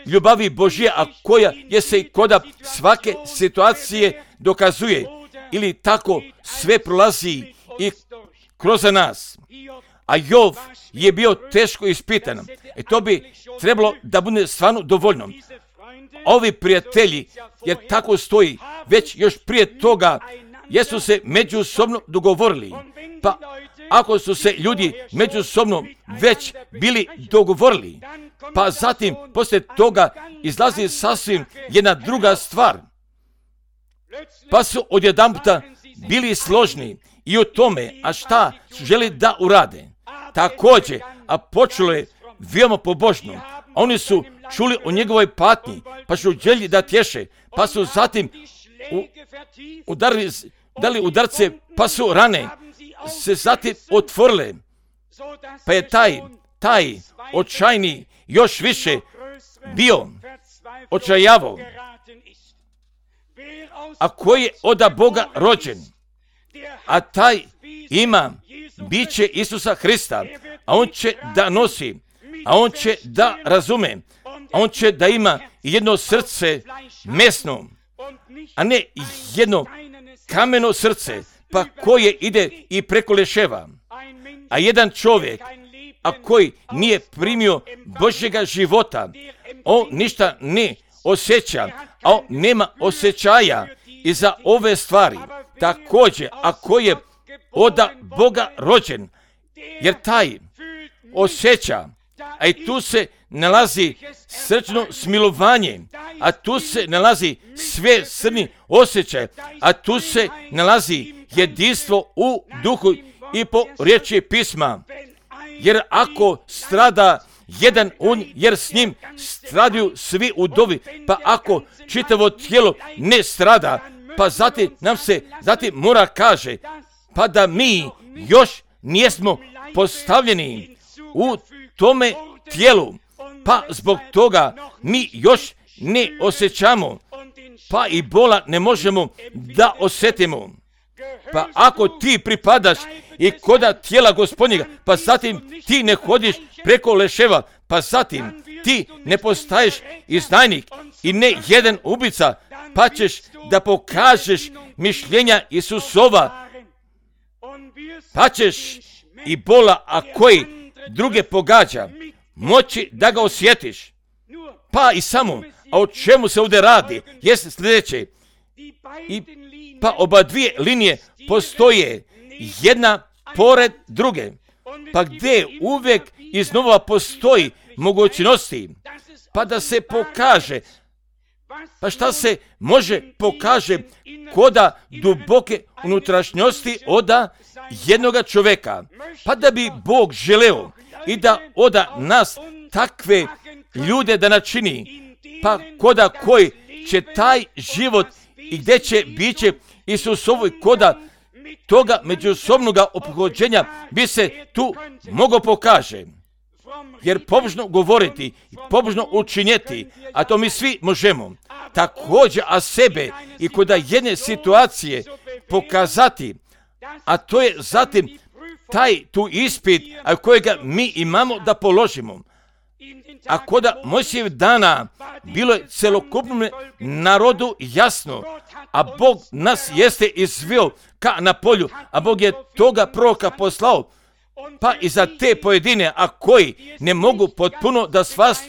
ljubavi Božje, a koja je se i koda svake situacije dokazuje ili tako sve prolazi i kroz nas. A Jov je bio teško ispitan. E to bi trebalo da bude stvarno dovoljno. Ovi prijatelji, jer tako stoji, već još prije toga, jesu se međusobno dogovorili. Pa ako su se ljudi međusobno već bili dogovorili, pa zatim poslije toga izlazi sasvim jedna druga stvar. Pa su odjedanputa bili složni i u tome, a šta su želi da urade. Također, a počelo je veoma pobožno. Oni su čuli o njegovoj patnji, pa su želi da tješe, pa su zatim u, udarili dali udarce, pa su rane se zatim otvorile, pa je taj, taj očajni još više bio očajavo. A koji je oda Boga rođen, a taj ima biće Isusa Hrista, a on će da nosi, a on će da razume, a on će da ima jedno srce mesno, a ne jedno kameno srce, pa koje ide i preko leševa. A jedan čovjek, a koji nije primio Božjega života, on ništa ne osjeća, a on nema osjećaja i za ove stvari. Također, ako je oda Boga rođen, jer taj osjeća, a i tu se nalazi srčno smilovanje, a tu se nalazi sve srni osjećaj, a tu se nalazi jedinstvo u duhu i po riječi pisma. Jer ako strada jedan on, jer s njim stradaju svi udovi, pa ako čitavo tijelo ne strada, pa zatim nam se zatim mora kaže, pa da mi još nijesmo postavljeni u tome tijelu, pa zbog toga mi još ne osjećamo, pa i bola ne možemo da osjetimo. Pa ako ti pripadaš i koda tijela Gospodnjega, pa zatim ti ne hodiš preko leševa, pa zatim ti ne postaješ izdajnik i ne jedan ubica, pa ćeš da pokažeš mišljenja Isusova, pa ćeš i bola, a koji druge pogađa, moći da ga osjetiš. Pa i samo, a o čemu se ovdje radi, jest sljedeće. I pa oba dvije linije postoje jedna pored druge, pa gdje uvijek iznova postoji mogućnosti, pa da se pokaže, pa šta se može pokaže koda duboke unutrašnjosti oda jednoga čovjeka, pa da bi Bog želeo i da oda nas takve ljude da načini, pa koda koji će taj život i gdje će biće Isusovoj koda toga međusobnog ophođenja bi se tu mogo pokaže. Jer pobožno govoriti i pobožno učinjeti, a to mi svi možemo, također a sebe i koda jedne situacije pokazati, a to je zatim taj tu ispit a kojega mi imamo da položimo. A koda Mojsijev dana bilo je celokupnom narodu jasno, a Bog nas jeste izveo ka na polju, a Bog je toga proroka poslao, pa i za te pojedine, a koji ne mogu potpuno da, svas,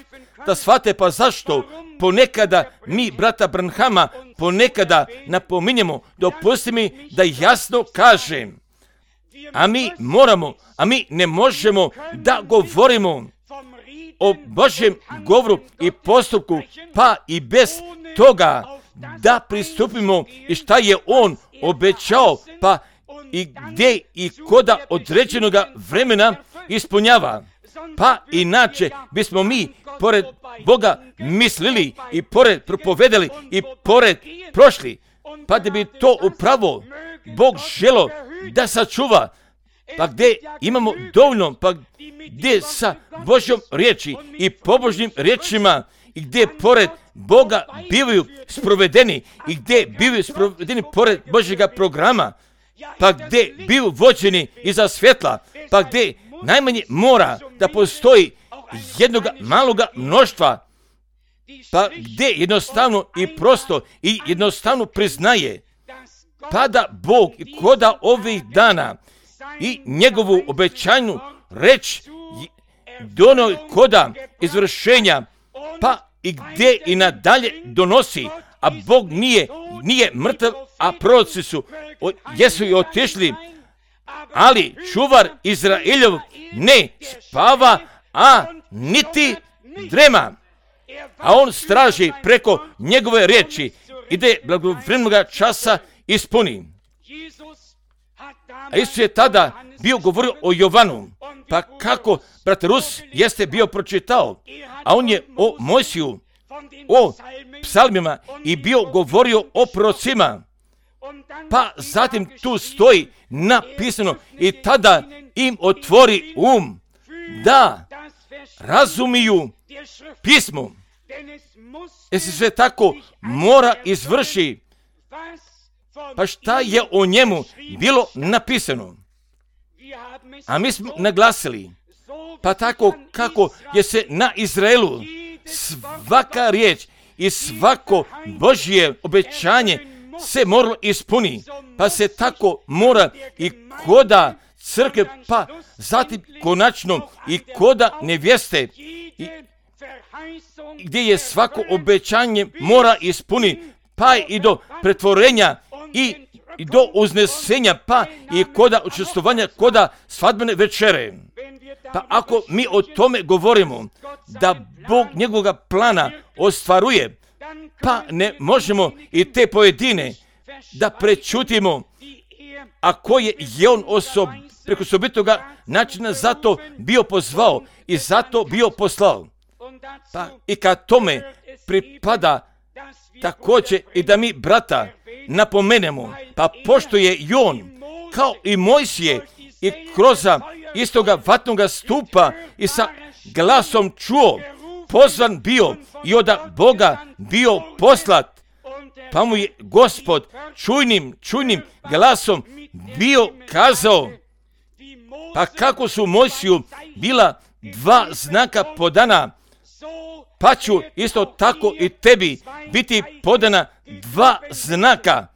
da shvate, pa zašto ponekada mi brata Branhama ponekada napominjemo, dopusti mi da jasno kažem, a mi moramo, a mi ne možemo da govorimo o Božjem govoru i postupku, pa i bez toga da pristupimo i šta je On obećao, pa i gdje i koda određenoga vremena ispunjava. Pa inače bismo mi pored Boga mislili i pored propovedali i pored prošli, pa da bi to upravo Bog želo da sačuva, pa gdje imamo dovoljno, pa gdje sa Božjom riječi i pobožnim riječima i gdje pored Boga bivaju sprovedeni i gdje bivaju sprovedeni pored Božjega programa, pa gdje bivaju vođeni iza svjetla, pa gdje najmanje mora da postoji jednog maloga mnoštva, pa gdje jednostavno i prosto i jednostavno priznaje, pa da Bog koda ovih dana i njegovu obećanju reč donio koda izvršenja, pa i gdje i nadalje donosi, a Bog nije, nije mrtav, a proroci su, o, jesu i otišli, ali čuvar Izraeljov ne spava, a niti drema, a on straži preko njegove riječi i da je blagovremenoga časa ispuni. A Isus je tada bio govorio o Jovanu, pa kako brat Rus jeste bio pročitao, a on je o Mojsiju, o psalmima i bio govorio o prorocima, Pa zatim tu stoji napisano i tada im otvori um da razumiju pismo. Jer se sve tako mora izvrši. Pa šta je o njemu bilo napisano? A mi smo naglasili, pa tako kako je se na Izraelu svaka riječ i svako Božje obećanje se moralo ispuni, pa se tako mora i koda crkve, pa zatim konačno i koda nevjeste, i gdje je svako obećanje mora ispuni, pa i do pretvorenja i, i do uznesenja, pa i koda učestvovanja, koda svadbene večere. Pa ako mi o tome govorimo, da Bog njegovoga plana ostvaruje, pa ne možemo i te pojedine da prečutimo, a koje je on osob, preko osobitoga načina zato bio pozvao i zato bio poslao. Pa i kad tome pripada također i da mi brata napomenemo, pa pošto je i on, kao i Mojsije, i kroz istoga vatnoga stupa i sa glasom čuo, pozvan bio i od Boga bio poslat, pa mu je Gospod čujnim, čujnim glasom bio kazao, pa kako su Mojsiju bila dva znaka podana, pa ću isto tako i tebi biti podana dva znaka,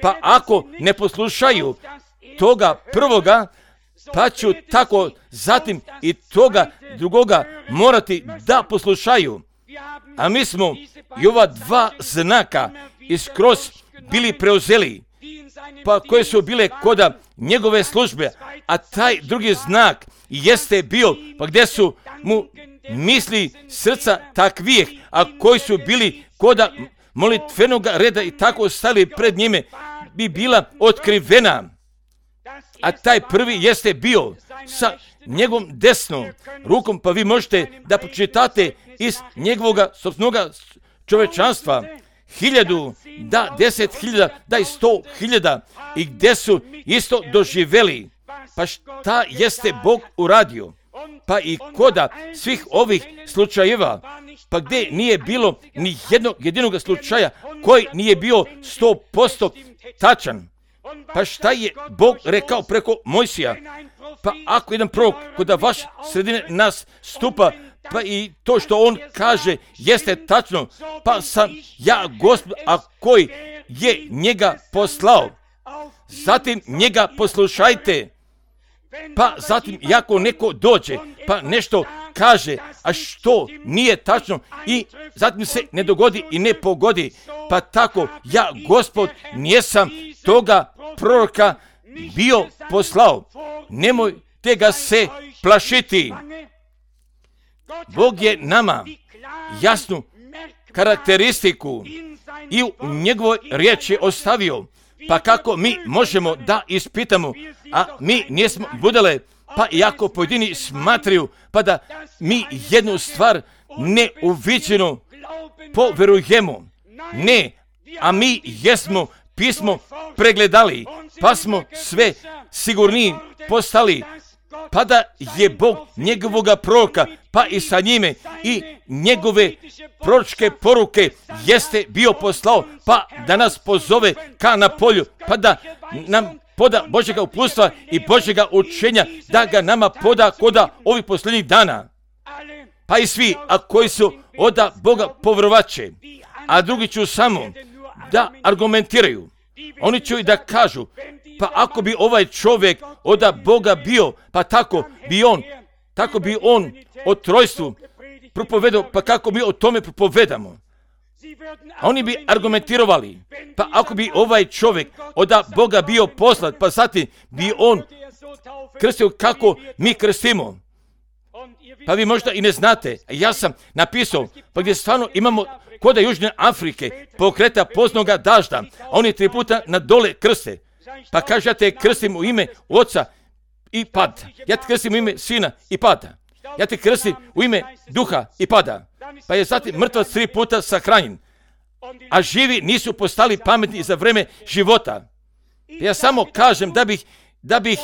pa ako ne poslušaju toga prvoga, pa ću tako zatim i toga drugoga morati da poslušaju. A mi smo i ova dva znaka iskroz bili preuzeli, pa koje su bile koda njegove službe, a taj drugi znak jeste bio, pa gdje su mu misli srca takvijeh, a koji su bili koda molitvenog reda i tako stali pred njime, bi bila otkrivena. A taj prvi jeste bio sa njegovom desnom rukom, pa vi možete da pročitate iz njegovog sopstvenog čovečanstva hiljadu, da deset hiljada, da i sto hiljada, i gdje su isto doživjeli. Pa šta jeste Bog uradio? Pa i koda svih ovih slučajeva, pa gdje nije bilo ni jednog jedinog slučaja koji nije bio sto posto tačan. Pa šta je Bog rekao preko Mojsija? Pa ako jedan prorok kod vaš sredine nas stupa, pa i to što on kaže jeste tačno, pa sam ja Gospod, a koji je njega poslao. Zatim njega poslušajte. Pa zatim jako neko dođe, pa nešto kaže, a što nije tačno i zatim se ne dogodi i ne pogodi. Pa tako ja Gospod nijesam toga proroka bio poslao. Nemojte ga se plašiti. Bog je nama jasnu karakteristiku i u njegovoj riječi ostavio. Pa kako mi možemo da ispitamo, a mi nismo budale, pa iako pojedini smatraju, pa da mi jednu stvar neuviđeno poverujemo. Ne, a mi jesmo pismo pregledali, pa smo sve sigurniji postali, pa da je Bog njegovoga proroka, pa i sa njime i njegove proročke poruke jeste bio poslao, pa da nas pozove ka na polju, pa da nam poda Božjega uputstva i Božjega učenja, da ga nama poda koda ovih posljednjih dana. Pa i svi, a koji su od Boga povjerovaće, a drugi ću samo da argumentiraju. Oni će i da kažu, pa ako bi ovaj čovjek od Boga bio, pa tako bi on, tako bi on o trojstvu propovedao, pa kako bi o tome propovedamo. A oni bi argumentirali, pa ako bi ovaj čovjek od Boga bio poslat, pa zatim bi on krstio kako mi krstimo. Pa vi možda i ne znate, ja sam napisao, pa gdje stvarno imamo kod Južne Afrike pokreta poznoga dažda, a oni tri puta na dole krste. Pa kaže, ja te krstim u ime Oca i pada. Ja te krstim u ime Sina i pada. Ja te krstim u ime Duha i pada. Pa je zatim mrtvac tri puta sahranjen. a živi nisu postali pametni za vreme života. Ja samo kažem da bih, da bih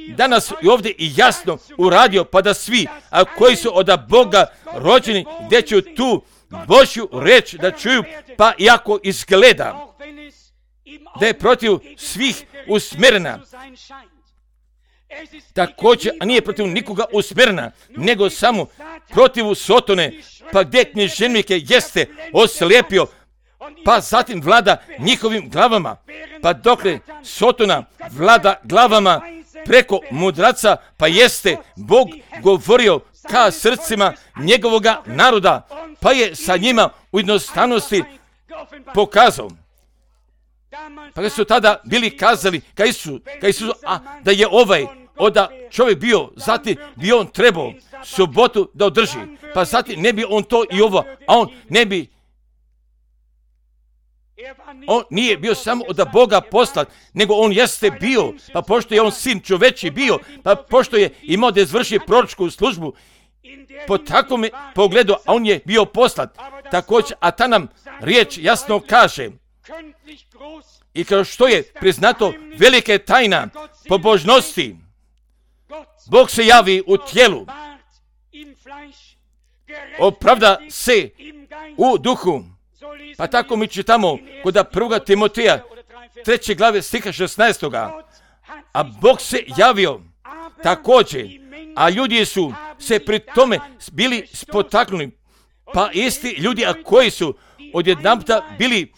danas i ovdje i jasno uradio, pa da svi, a koji su od Boga rođeni, gdje će tu Božju reč da čuju, pa iako izgleda da je protiv svih usmjerena, također, a nije protiv nikoga usmjerena, nego samo protiv Sotone, pa gdje književnike jeste oslijepio, pa zatim vlada njihovim glavama, pa dokle Sotona vlada glavama preko mudraca, pa jeste Bog govorio ka srcima njegovoga naroda, pa je sa njima u jednostavnosti pokazao. Pa su tada bili kazali ka Isusu, ka Isusu, a da je ovaj oda čovjek bio, zatim bi on trebao subotu da održi, pa zatim ne bi on to i ovo, a on ne bi, on nije bio samo od Boga poslat, nego on jeste bio, pa pošto je on sin čoveči bio, pa pošto je imao da izvrši proročku službu, po takvom pogledu, a on je bio poslat, također, a ta nam riječ jasno kaže, i kao što je priznato velike tajna pobožnosti, Bog se javi u tijelu, opravda se u duhu. Pa tako mi čitamo kod prvoga Timoteja treće glave stiha šesnaestoga. A Bog se javio također, a ljudi su se pri tome bili spotaknuli, pa isti ljudi, a koji su odjedanputa bili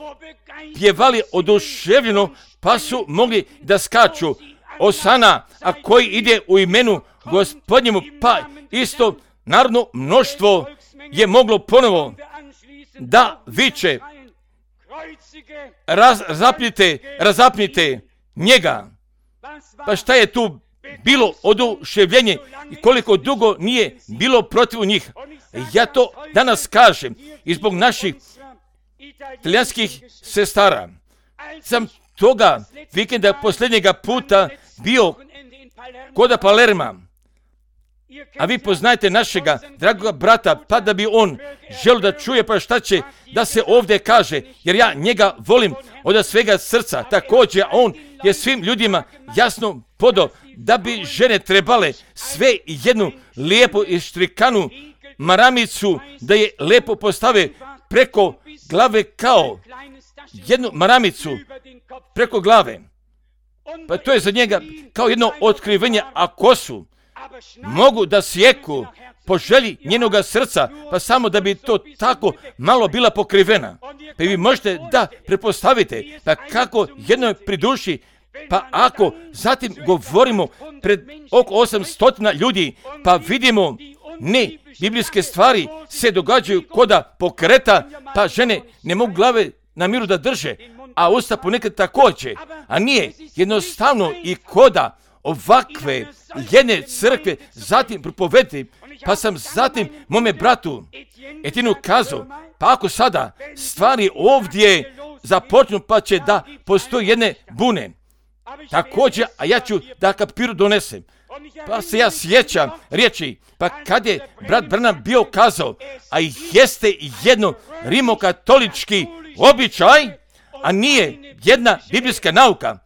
pjevali oduševljeno, pa su mogli da skaču Osana, a koji ide u imenu Gospodnjemu, pa isto narodno mnoštvo je moglo ponovo da viče, raz, razapnite, razapnite njega. Pa šta je tu bilo oduševljenje i koliko dugo nije bilo protiv njih. Ja to danas kažem i zbog naših talijanskih sestara. Sam toga vikenda posljednjega puta bio kod Palerma. A vi poznajete našega dragoga brata, pa da bi on želio da čuje pa šta će da se ovdje kaže, jer ja njega volim od svega srca. Također on je svim ljudima jasno podao da bi žene trebale sve jednu lijepu ištrikanu maramicu da je lijepo postave preko glave kao jednu maramicu preko glave. Pa to je za njega kao jedno otkrivenje, a kosu mogu da sjeku po želji njenoga srca, pa samo da bi to tako malo bila pokrivena. Pa vi možete da prepostavite, pa kako jednoj priduši, pa ako zatim govorimo pred oko osamsto ljudi, pa vidimo ne biblijske stvari se događaju koda pokreta, pa žene ne mogu glave na miru da drže, a usta ponekad također, a nije jednostavno i koda ovakve jedne crkve zatim propovedati, pa sam zatim mome bratu Etinu kazao, pa ako sada stvari ovdje započnu, pa će da postoji jedne bune. Također, a ja ću da kapiru donesem. Pa se ja sjećam riječi, pa kad je brat Branham bio kazao, a jeste jedno rimokatolički običaj, a nije jedna biblijska nauka.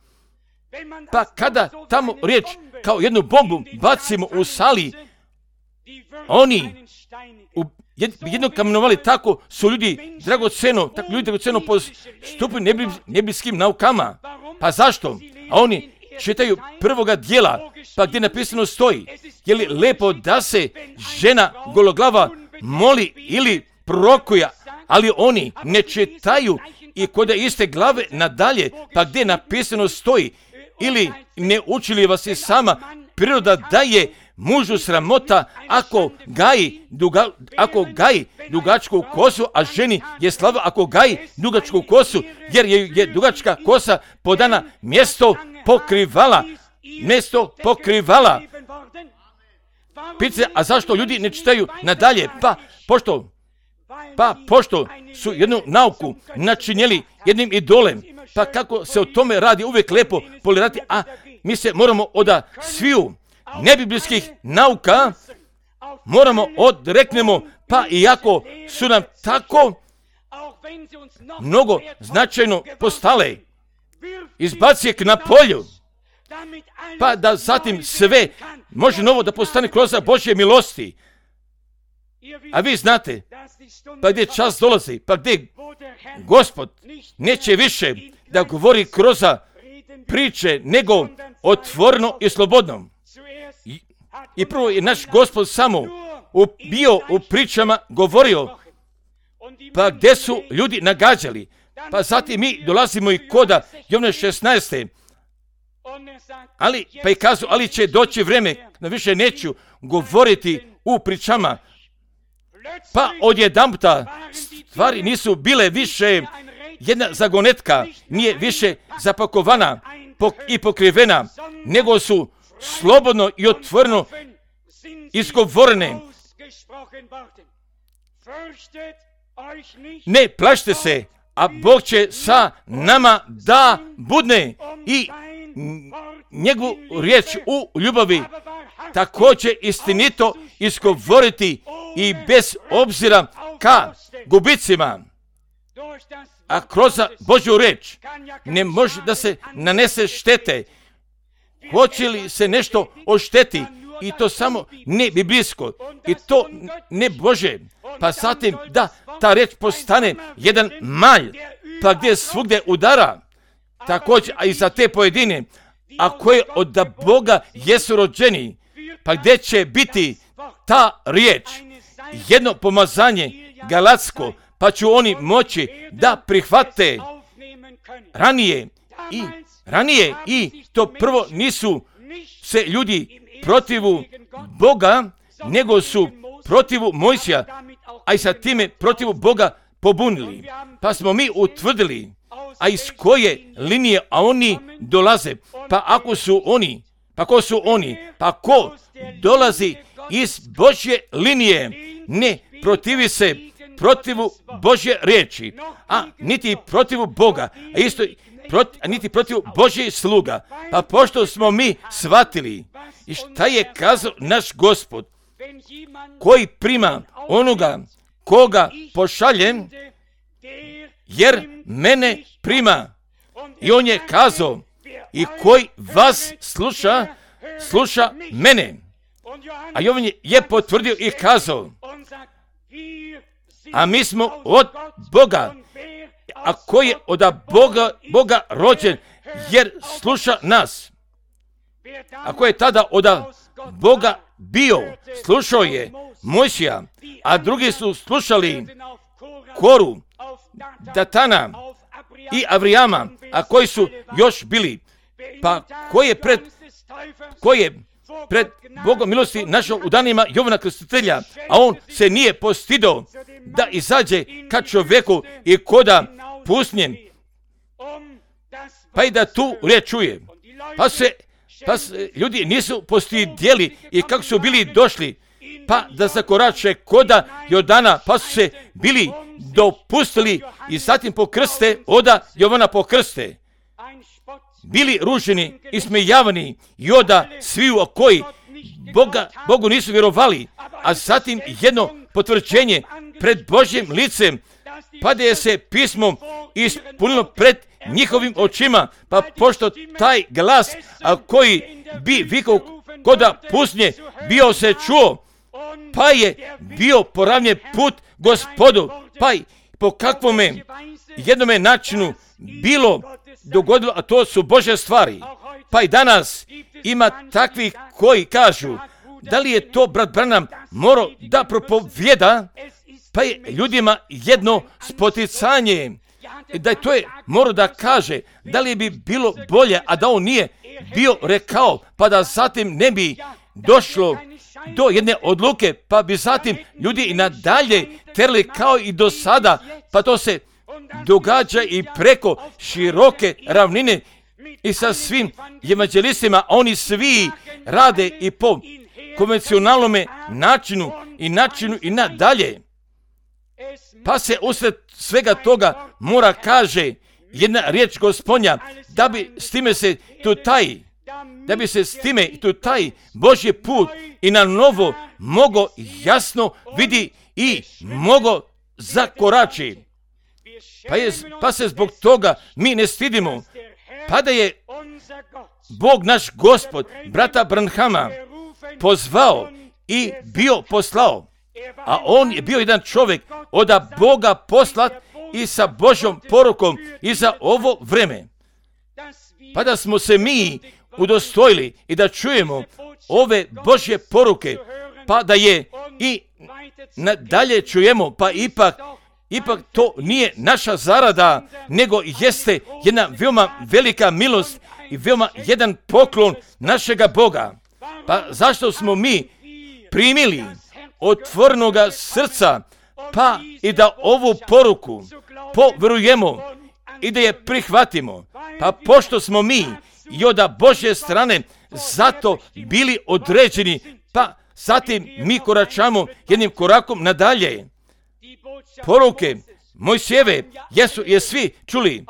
Pa kada tamo riječ kao jednu bombu bacimo u sali, oni u jedno kamenovali, tako su ljudi dragoceno, tako ljudi dragoceno postupili nebijskim naukama. Pa zašto? A oni čitaju prvoga dijela, pa gdje napisano stoji, je li lepo da se žena gologlava moli ili prorokuje, ali oni ne čitaju i kod iste glave nadalje, pa gdje napisano stoji, ili ne učili vas i sama priroda da je mužu sramota ako gaji, duga, ako gaji dugačku kosu, a ženi je slava ako gaji dugačku kosu, jer je, je dugačka kosa podana mjesto pokrivala, mjesto pokrivala. Pice, a zašto ljudi ne čitaju nadalje? Pa, pošto, pa, pošto su jednu nauku načinjeli jednim idolem, pa kako se o tome radi uvijek lepo polirati, a mi se moramo od sviju nebiblijskih nauka moramo odreknemo, pa iako su nam tako mnogo značajno postale, izbaci ih na polju, pa da zatim sve može novo da postane kroz Božje milosti. A vi znate, pa gdje čas dolazi, pa gdje Gospod neće više da govori kroz priče, nego otvoreno i slobodno. I, i prvo je naš Gospod samo u, bio u pričama govorio, pa gdje su ljudi nagađali. Pa zatim mi dolazimo i koda Jovana šesnaeste. Ali, pa i kazu, ali će doći vreme da više neću govoriti u pričama. Pa odjedanputa stvari nisu bile više jedna zagonetka, nije više zapakovana i pokrivena, nego su slobodno i otvoreno izgovorene. Ne plašite se, a Bog će sa nama da budne i njegovu riječ u ljubavi također istinito izgovoriti i bez obzira ka gubicima. A kroz Božju riječ ne može da se nanese štete. Hoće li se nešto ošteti, i to samo ne biblijsko, i to ne Bože, pa zatim da ta riječ postane jedan malj, pa gdje svugdje udara, također, a i za te pojedine, a koje od Boga jesu rođeni, pa gdje će biti ta riječ, jedno pomazanje galatsko, pa će oni moći da prihvate ranije i ranije i to prvo nisu se ljudi protivu Boga, nego su protivu Mojsija, a i sa time protivu Boga pobunili. Pa smo mi utvrdili, a iz koje linije a oni dolaze, pa ako su oni, pa ko su oni, pa ko dolazi iz Božje linije, ne protivi se protivu Božje riječi, a niti protivu Boga, a isto proti, a niti protivu Božje sluga. Pa pošto smo mi shvatili i šta je kazao naš Gospod, koji prima onoga koga pošaljem, jer mene prima. I on je kazao, i koji vas sluša, sluša mene. A Jovan je potvrdio i kazao, a mi smo od Boga, a koji je od Boga, Boga rođen, jer sluša nas. A ko je tada od Boga bio, slušao je Mojsija, a drugi su slušali Koru, Datana i Avrijama, a koji su još bili. Pa ko je pred, ko je pred Bogom milosti našao u danima Jovana Krstitelja, a on se nije postidio da izađe ka čovjeku i koda pusnjem, pa i da tu riječ čuje. Pa se, pa se ljudi nisu postidjeli i kako su bili došli, pa da zakorače koda Jordana, pa su se bili dopustili i zatim pokrste oda Jovana pokrste. Bili ruženi i smejavani i oda sviju koji Boga, Bogu nisu vjerovali, a zatim jedno potvrđenje pred Božjim licem, pa da je se pismom ispunilo pred njihovim očima, pa pošto taj glas, a koji bi vikao koda pusnje, bio se čuo, pa je bio poravnjen put Gospodu, pa i po kakvome jednome načinu bilo dogodilo, a to su Božje stvari. Pa i danas ima takvih koji kažu, da li je to brat Branham morao da propovjeda, pa je ljudima jedno spoticanje, da je to je morao da kaže, da li bi bilo bolje, a da on nije bio rekao, pa da zatim ne bi došlo do jedne odluke, pa bi zatim ljudi i nadalje terli kao i do sada, pa to se događa i preko široke ravnine i sa svim evanđelistima, oni svi rade i po konvencionalnom načinu i načinu i nadalje. Pa se usred svega toga mora kaže jedna riječ Gospodnja, da bi s time se tu taj, da bi se s time tu taj Božji put i na novo mogo jasno vidi i mogo zakorači. Pa, je, pa se zbog toga mi ne stidimo. Pa da je Bog naš Gospod, brata Branhama, pozvao i bio poslao. A on je bio jedan čovjek od Boga poslat i sa Božjom porukom i za ovo vreme. Pa da smo se mi udostojili i da čujemo ove Božje poruke, pa da je i nadalje čujemo, pa ipak, ipak to nije naša zarada, nego jeste jedna veoma velika milost i veoma jedan poklon našega Boga. Pa zašto smo mi primili otvorenoga srca, pa i da ovu poruku povjerujemo i da je prihvatimo. Pa pošto smo mi i od Božje strane zato bili određeni, pa zatim mi koračamo jednim korakom nadalje. Poruke Mojsijeve jesu je svi čuli.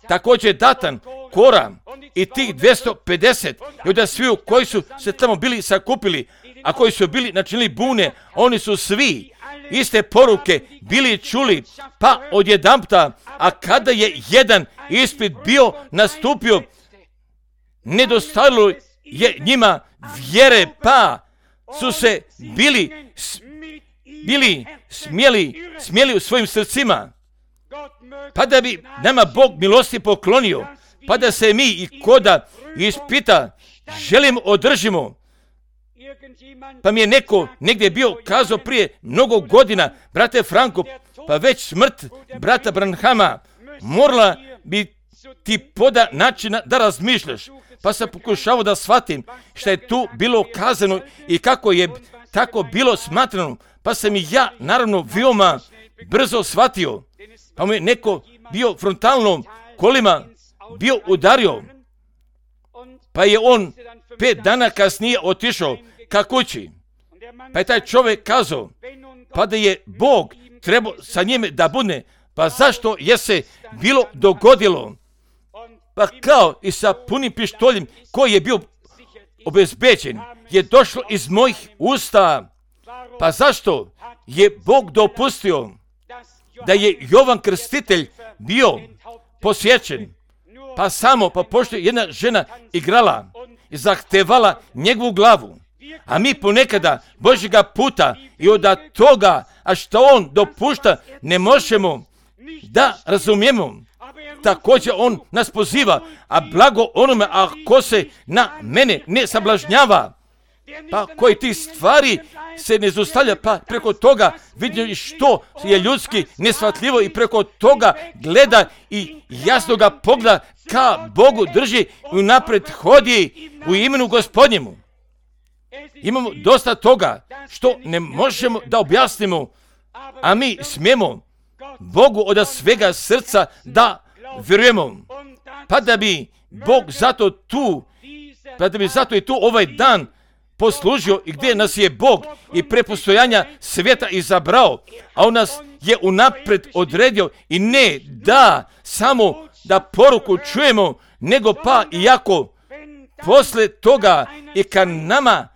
Također Datan, Kora i tih dvjesto pedeset i od sviju koji su se tamo bili sakupili, a koji su bili načinili bune, oni su svi iste poruke bili čuli, pa odjedanputa, a kada je jedan ispit bio nastupio, nedostajalo je njima vjere, pa su se bili, bili smjeli, smjeli u svojim srcima, pa da bi nama Bog milosti poklonio, pa da se mi i koda ispita želimo održimo. Pa mi je neko negdje bio kazao prije mnogo godina, brate Franko, pa već smrt brata Branhama morala bi ti poda načina da razmišljaš. Pa sam pokušao da shvatim šta je tu bilo kazano i kako je tako bilo smatrano. Pa sam i ja naravno veoma brzo shvatio. Pa mu je neko bio frontalno kolima bio udario. Pa je on pet dana kasnije otišao ka kući. Pa je taj čovjek kazao, pa da je Bog trebao sa njime da bude, pa zašto je se bilo dogodilo? Pa kao i sa punim pištoljem koji je bio obezbeđen, je došlo iz mojih usta. Pa zašto je Bog dopustio da je Jovan Krstitelj bio posjećen? Pa samo, pa pošto je jedna žena igrala i zahtevala njegovu glavu. A mi ponekada Božjega puta i od toga, a što on dopušta, ne možemo da razumijemo. Također on nas poziva, a blago onome ako se na mene ne sablažnjava, pa koji ti stvari se ne zaustavlja, pa preko toga vidi što je ljudski neshvatljivo i preko toga gleda i jasno ga pogleda ka Bogu drži i napred hodi u imenu Gospodnjemu. Imamo dosta toga što ne možemo da objasnimo, a mi smijemo Bogu od svega srca da vjerujemo. Pa da bi Bog zato tu, pa da bi zato i tu ovaj dan poslužio i gdje nas je Bog i pre postojanja svijeta izabrao, a on nas je unapred odredio i ne da samo da poruku čujemo, nego pa iako posle toga i kad nama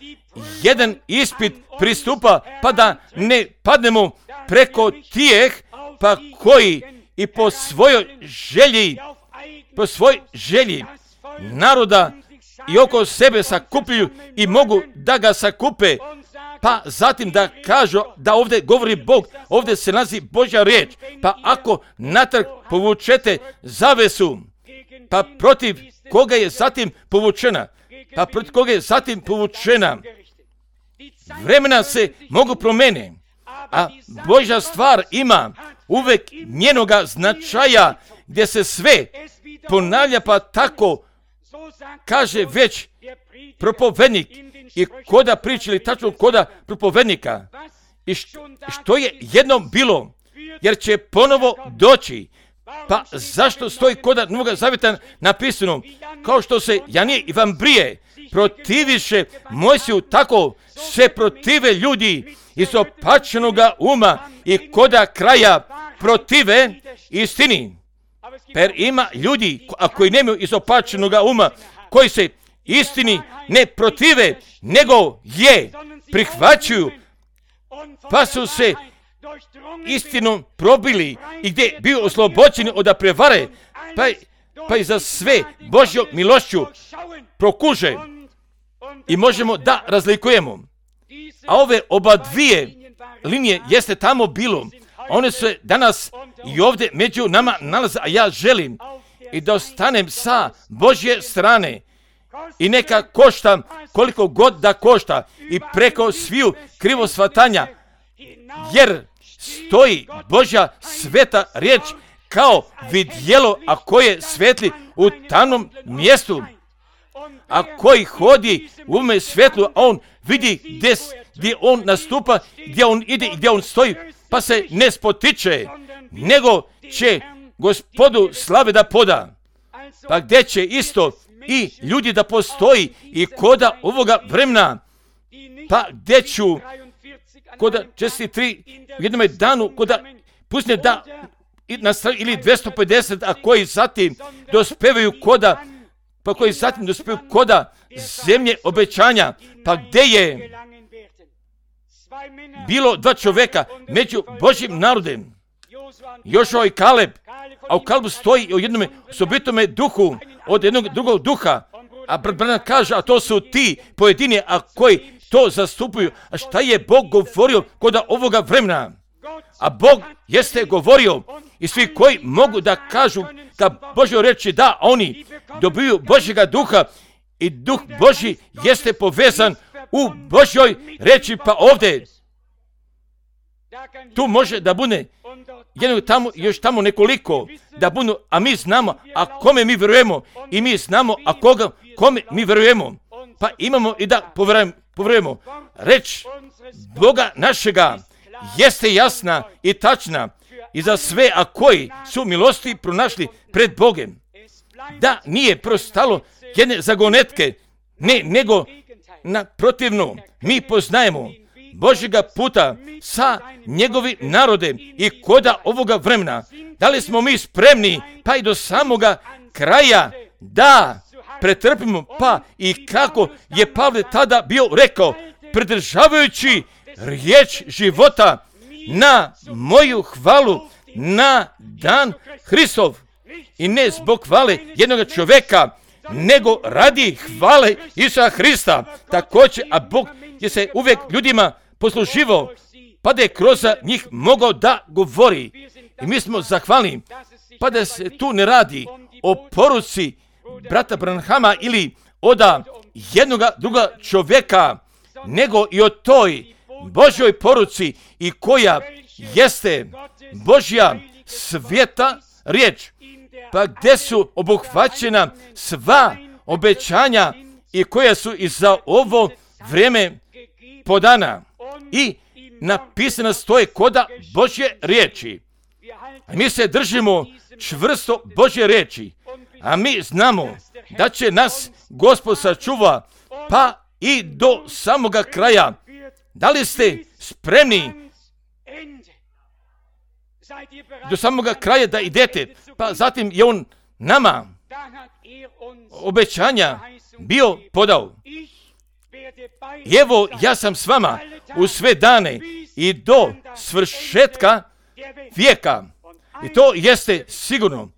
jedan ispit pristupa, pa da ne padnemo preko tijeh, pa koji i po svojoj želji, po svojoj želji naroda i oko sebe sakupljuju i mogu da ga sakupe, pa zatim da kažu da ovdje govori Bog, ovdje se nalazi Božja riječ, pa ako natrag povučete zavesu, pa protiv koga je zatim povučena, pa protiv koga je zatim povučena, vremena se mogu promijeniti, a Božja stvar ima uvek njenoga značaja gdje se sve ponavlja, pa tako kaže već propovednik i koda pričali tačno koda propovednika. I što je jednom bilo, jer će ponovo doći. Pa zašto stoji koda Novoga Zavjeta napisano, kao što se Janije i Vambrije protiviše Mojsiju, tako se protive ljudi izopačenoga uma i koda kraja protive istini. Per ima ljudi, a koji nemaju izopačenoga uma, koji se istini ne protive, nego je prihvaćuju, pa su se istinom probili i gdje bio oslobođeni od prevare, pa, pa i za sve Božjom milošću prokuže i možemo da razlikujemo. A ove oba dvije linije jeste tamo bilo. One se danas i ovdje među nama nalaze, a ja želim i da ostanem sa Božje strane i neka košta koliko god da košta i preko sviju krivosvatanja, jer stoji Božja sveta riječ kao vidjelo, a koje svetli u tamnom mjestu, a koji hodi u ovome svjetlu, a on vidi gdje, gdje on nastupa, gdje on ide i gdje on stoji, pa se ne spotiče, nego će Gospodu slave da poda. Pa gdje će isto i ljudi da postoji i koda ovoga vremena, pa gdje ću koda četiri tri u jednom danu, koda pusne da ili dvjesto pedeset, a koji zatim dospevaju koda, pa koji zatim dospevaju koda zemlje obećanja, pa gdje je bilo dva čovjeka među Božjim narodem, Jošua i Kaleb, a u Kalebu stoji o jednom osobitome duhu od jednog drugog duha, a brat Branham kaže, a to su ti pojedini, a koji to zastupuju. A šta je Bog govorio kod ovoga vremena? A Bog jeste govorio i svi koji mogu da kažu da Božjo reči da, oni dobiju Božjega duha i duh Božji jeste povezan u Božjoj reči, pa ovdje tu može da bude jedno tamo, još tamo nekoliko da budu, a mi znamo, a kome mi vjerujemo i mi znamo, a koga, kome mi vjerujemo, pa imamo i da povjerujemo. Reč Boga našega jeste jasna i tačna i za sve, a koji su milosti pronašli pred Bogem. Da nije prostalo jedne zagonetke, ne, nego naprotivno, mi poznajemo Božjega puta sa njegovim narodem i koda ovoga vremena. Da li smo mi spremni pa i do samoga kraja da pretrpimo, pa i kako je Pavle tada bio rekao, pridržavajući riječ života na moju hvalu na dan Hristov. I ne zbog hvale jednog čovjeka, nego radi hvale Isusa Hrista. Također, a Bog je se uvijek ljudima posluživao, pa da je kroz njih mogao da govori. I mi smo zahvalni, pa da se tu ne radi o poruci brata Branhama ili oda jednoga druga čovjeka, nego i o toj Božjoj poruci i koja jeste Božja sveta riječ, pa gdje su obuhvaćena sva obećanja i koja su i za ovo vrijeme podana i napisana stoje koda Božje riječi. Mi se držimo čvrsto Božje riječi, a mi znamo da će nas Gospod sačuva pa i do samoga kraja. Da li ste spremni do samoga kraja da idete? Pa zatim je on nama obećanja bio podao. I evo, ja sam s vama u sve dane i do svršetka vijeka. I to jeste sigurno.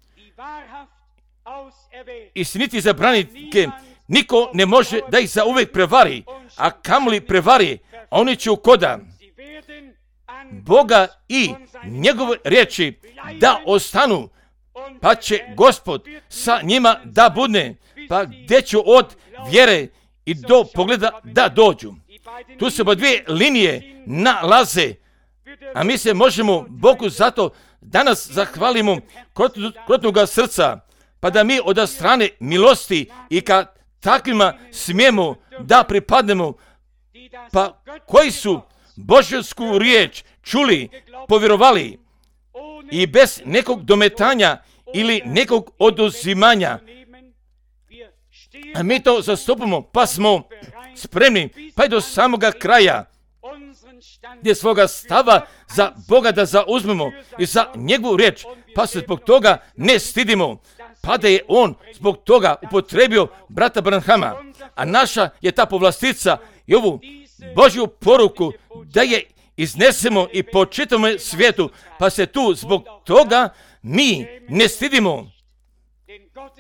Istiniti zabranike niko ne može da ih zauvijek prevari, a kamoli prevari, oni će u koda Boga i njegove riječi da ostanu, pa će Gospod sa njima da bude, pa gdje ću od vjere i do pogleda da dođu. Tu se po dvije linije nalaze, a mi se možemo Bogu zato danas zahvalimo krotnoga srca, pa da mi od strane milosti i kad takvima smijemo da pripadnemo, pa koji su Božjsku riječ čuli, povjerovali i bez nekog dometanja ili nekog oduzimanja. A mi to zastupamo, pa smo spremni, pa i do samoga kraja, gdje svoga stava za Boga da zauzmemo i za njegovu riječ, pa se zbog toga ne stidimo, pa da je on zbog toga upotrebio brata Branhama, a naša je ta povlastica i ovu Božju poruku da je iznesemo i po čitavom svijetu, pa se tu zbog toga mi ne stidimo.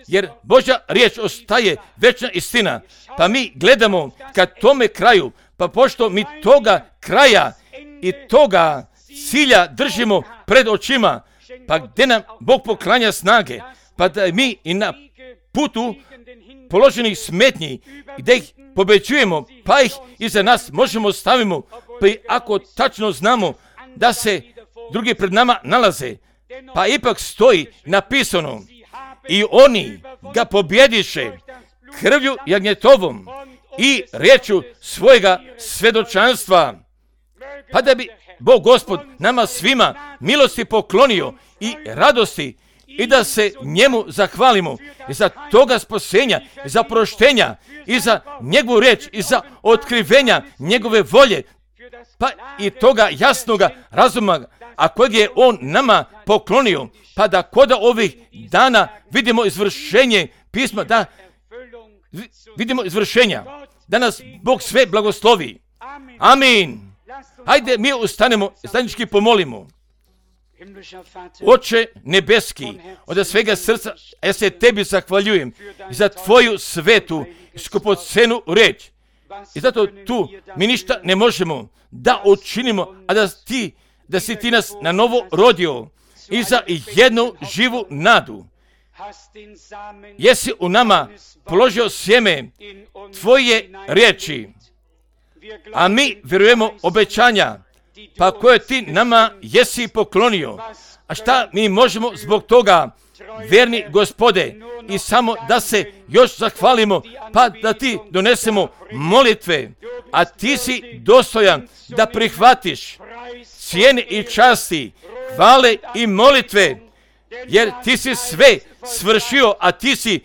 Jer Božja riječ ostaje večna istina, pa mi gledamo ka tome kraju, pa pošto mi toga kraja i toga cilja držimo pred očima, pa gdje nam Bog poklanja snage, pa da mi i na putu položenih smetnji, gdje ih pobeđujemo, pa ih iza nas možemo stavimo, pa i ako tačno znamo da se drugi pred nama nalaze, pa ipak stoji napisano, i oni ga pobjediše krvlju jagnjetovom i riječju svojega svjedočanstva. Pa da bi Bog Gospod nama svima milosti poklonio i radosti i da se njemu zahvalimo i za toga spasenja, i za proštenja, i za njegovu riječ, i za otkrivenja njegove volje, pa i toga jasnoga razuma, a kojeg je on nama poklonio, pa da kod ovih dana vidimo izvršenje pisma, da vidimo izvršenja, da nas Bog sve blagoslovi. Amin. Hajde mi ustanemo, stanički pomolimo. Oče nebeski, od svega srca ja se tebi zahvaljujem za tvoju svetu i skupocenu riječ. I zato tu mi ništa ne možemo da učinimo, a da ti, da si ti nas na novo rodio i za jednu živu nadu. Jesi u nama položio sjeme tvoje riječi, a mi vjerujemo obećanja, pa koje ti nama jesi poklonio. A šta mi možemo zbog toga, vjerni Gospode, i samo da se još zahvalimo, pa da ti donesemo molitve, a ti si dostojan da prihvatiš cijene i časti, hvale i molitve, jer ti si sve svršio, a ti si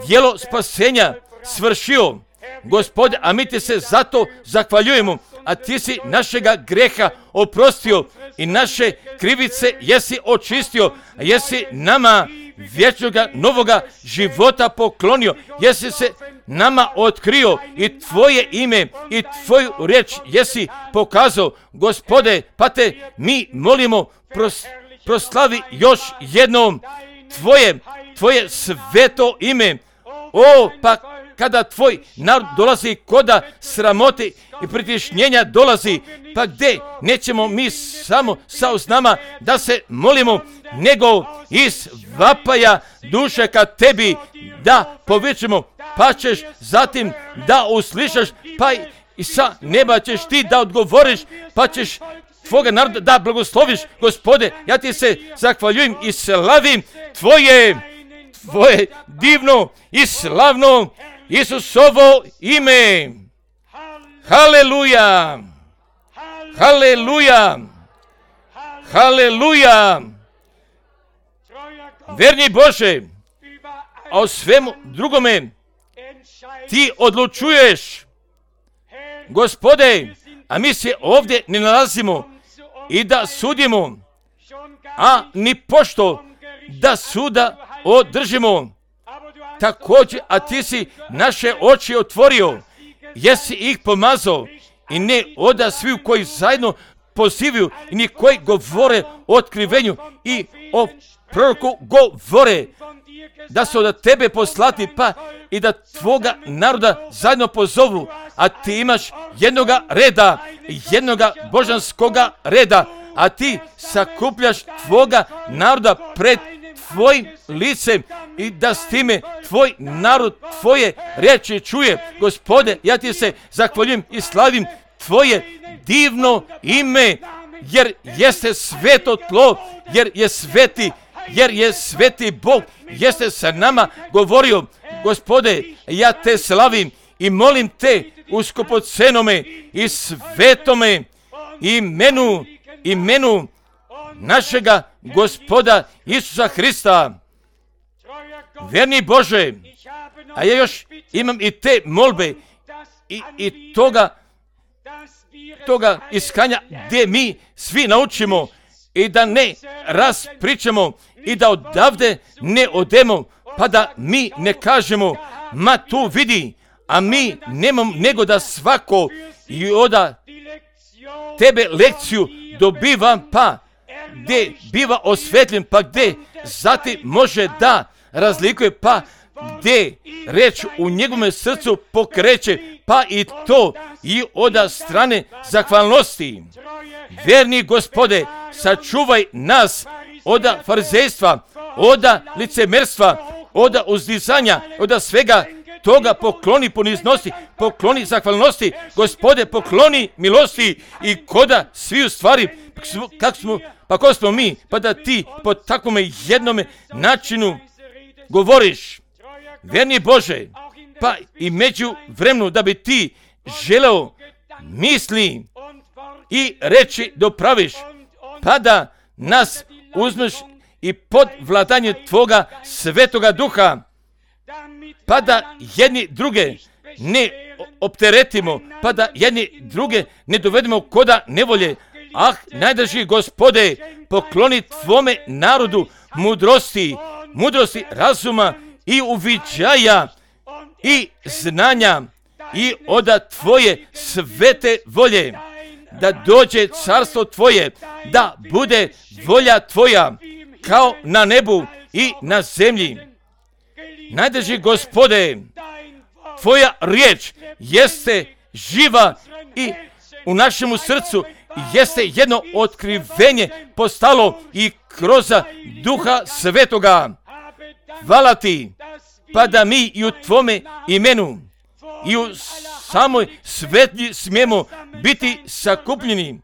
djelo spasenja svršio, Gospode, a mi ti se zato zahvaljujemo, a ti si našega greha oprostio i naše krivice jesi očistio, a jesi nama vječnoga novoga života poklonio, jesi se nama otkrio i tvoje ime i tvoju riječ jesi pokazao, Gospode, pa te mi molimo, pros, proslavi još jednom tvoje, tvoje sveto ime. O, pa kada tvoj narod dolazi koda sramote i pritišnjenja dolazi, pa gdje nećemo mi samo sa usnama da se molimo, nego iz vapaja duše ka tebi da povičemo, pa ćeš zatim da uslišaš, pa i sa neba ćeš ti da odgovoriš, pa ćeš tvoga naroda da blagosloviš. Gospode, ja ti se zahvaljujem i slavim tvoje, tvoje divno i slavno Isusovo ime. Haleluja! Haleluja! Haleluja! Verni Bože, a o svemu drugome ti odlučuješ. Gospode, a mi se ovdje ne nalazimo i da sudimo, a ni pošto da suda održimo. Također, a ti si naše oči otvorio, jesi ih pomazao i ne oda svi koji zajedno pozivaju i ni koji govore o otkrivenju i o proroku govore da su od tebe poslati, pa i da tvoga naroda zajedno pozovu, a ti imaš jednoga reda, jednoga božanskoga reda, a ti sakupljaš tvoga naroda pred tvojim licem i da s time tvoj narod tvoje riječi čuje. Gospode, ja ti se zahvaljujem i slavim tvoje divno ime, jer jeste sveto tlo, jer je sveti, jer je sveti Bog, jeste sa nama govorio. Gospode, ja te slavim i molim te u skupocenome i svetome imenu, imenu našega Gospoda Isusa Hrista. Verni Bože, a ja još imam i te molbe i, i toga, toga iskanja gdje mi svi naučimo i da ne raspričamo i da odavde ne odemo, pa da mi ne kažemo, ma tu vidi, a mi nemam nego da svako i oda tebe lekciju dobivam, pa gdje biva osvetljen, pa gdje zatim može da razlikuje, pa gdje reč u njegovom srcu pokreće, pa i to i od strane zahvalnosti. Verni Gospode, sačuvaj nas od farizejstva, od licemerstva, od uzdizanja, od svega toga. Pokloni poniznosti, pokloni zahvalnosti, Gospode, pokloni milosti i koda svi u stvari, kako smo, pa ko smo mi, pa da ti po takvom jednom načinu govoriš. Verni Bože, pa i među vremenu da bi ti želeo misli i reći dopraviš, pa da nas uzmeš i pod vladanje Tvoga Svetoga Duha, pa da jedni druge ne opteretimo, pa da jedni druge ne dovedemo koda nevolje. Ah, najdraži Gospode, pokloni Tvome narodu mudrosti, mudrosti razuma i uviđaja i znanja i od Tvoje svete volje, da dođe carstvo Tvoje, da bude volja Tvoja kao na nebu i na zemlji. Najdraži Gospode, Tvoja riječ jeste živa i u našemu srcu jeste jedno otkrivenje postalo i kroz Duha Svetoga. Hvala Ti, pa da mi i u Tvome imenu i u samoj svetlji smijemo biti sakupljeni.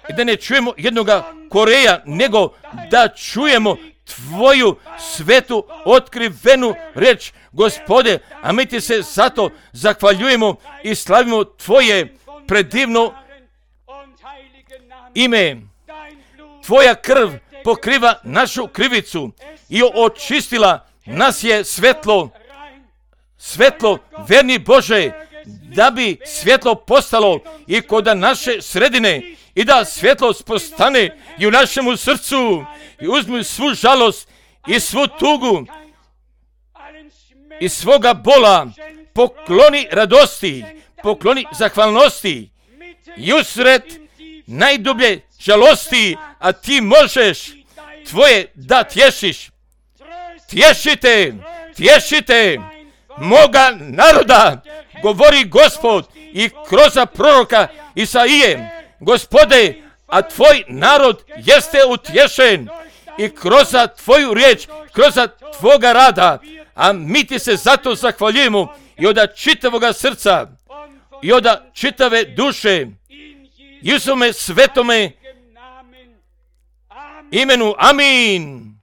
I da ne čujemo jednoga Koreja, nego da čujemo Tvoju svetu otkrivenu reč, Gospode, a mi Ti se zato zahvaljujemo i slavimo Tvoje predivno ime. Tvoja krv pokriva našu krivicu i očistila nas je svetlo, svetlo, verni Bože, da bi svjetlo postalo i kod naše sredine i da svjetlost postane i u našemu srcu i uzmi svu žalost i svu tugu i svoga bola, pokloni radosti, pokloni zahvalnosti i usred najdublje žalosti, a Ti možeš Tvoje da tješiš. Tješite, tješite moga naroda, govori Gospod i kroz proroka Isaije. Gospode, a Tvoj narod jeste utješen i kroz Tvoju riječ, kroz Tvoga rada, a mi Ti se zato zahvaljujemo i od čitavoga srca i od čitave duše i u svome svetome imenu. Amin.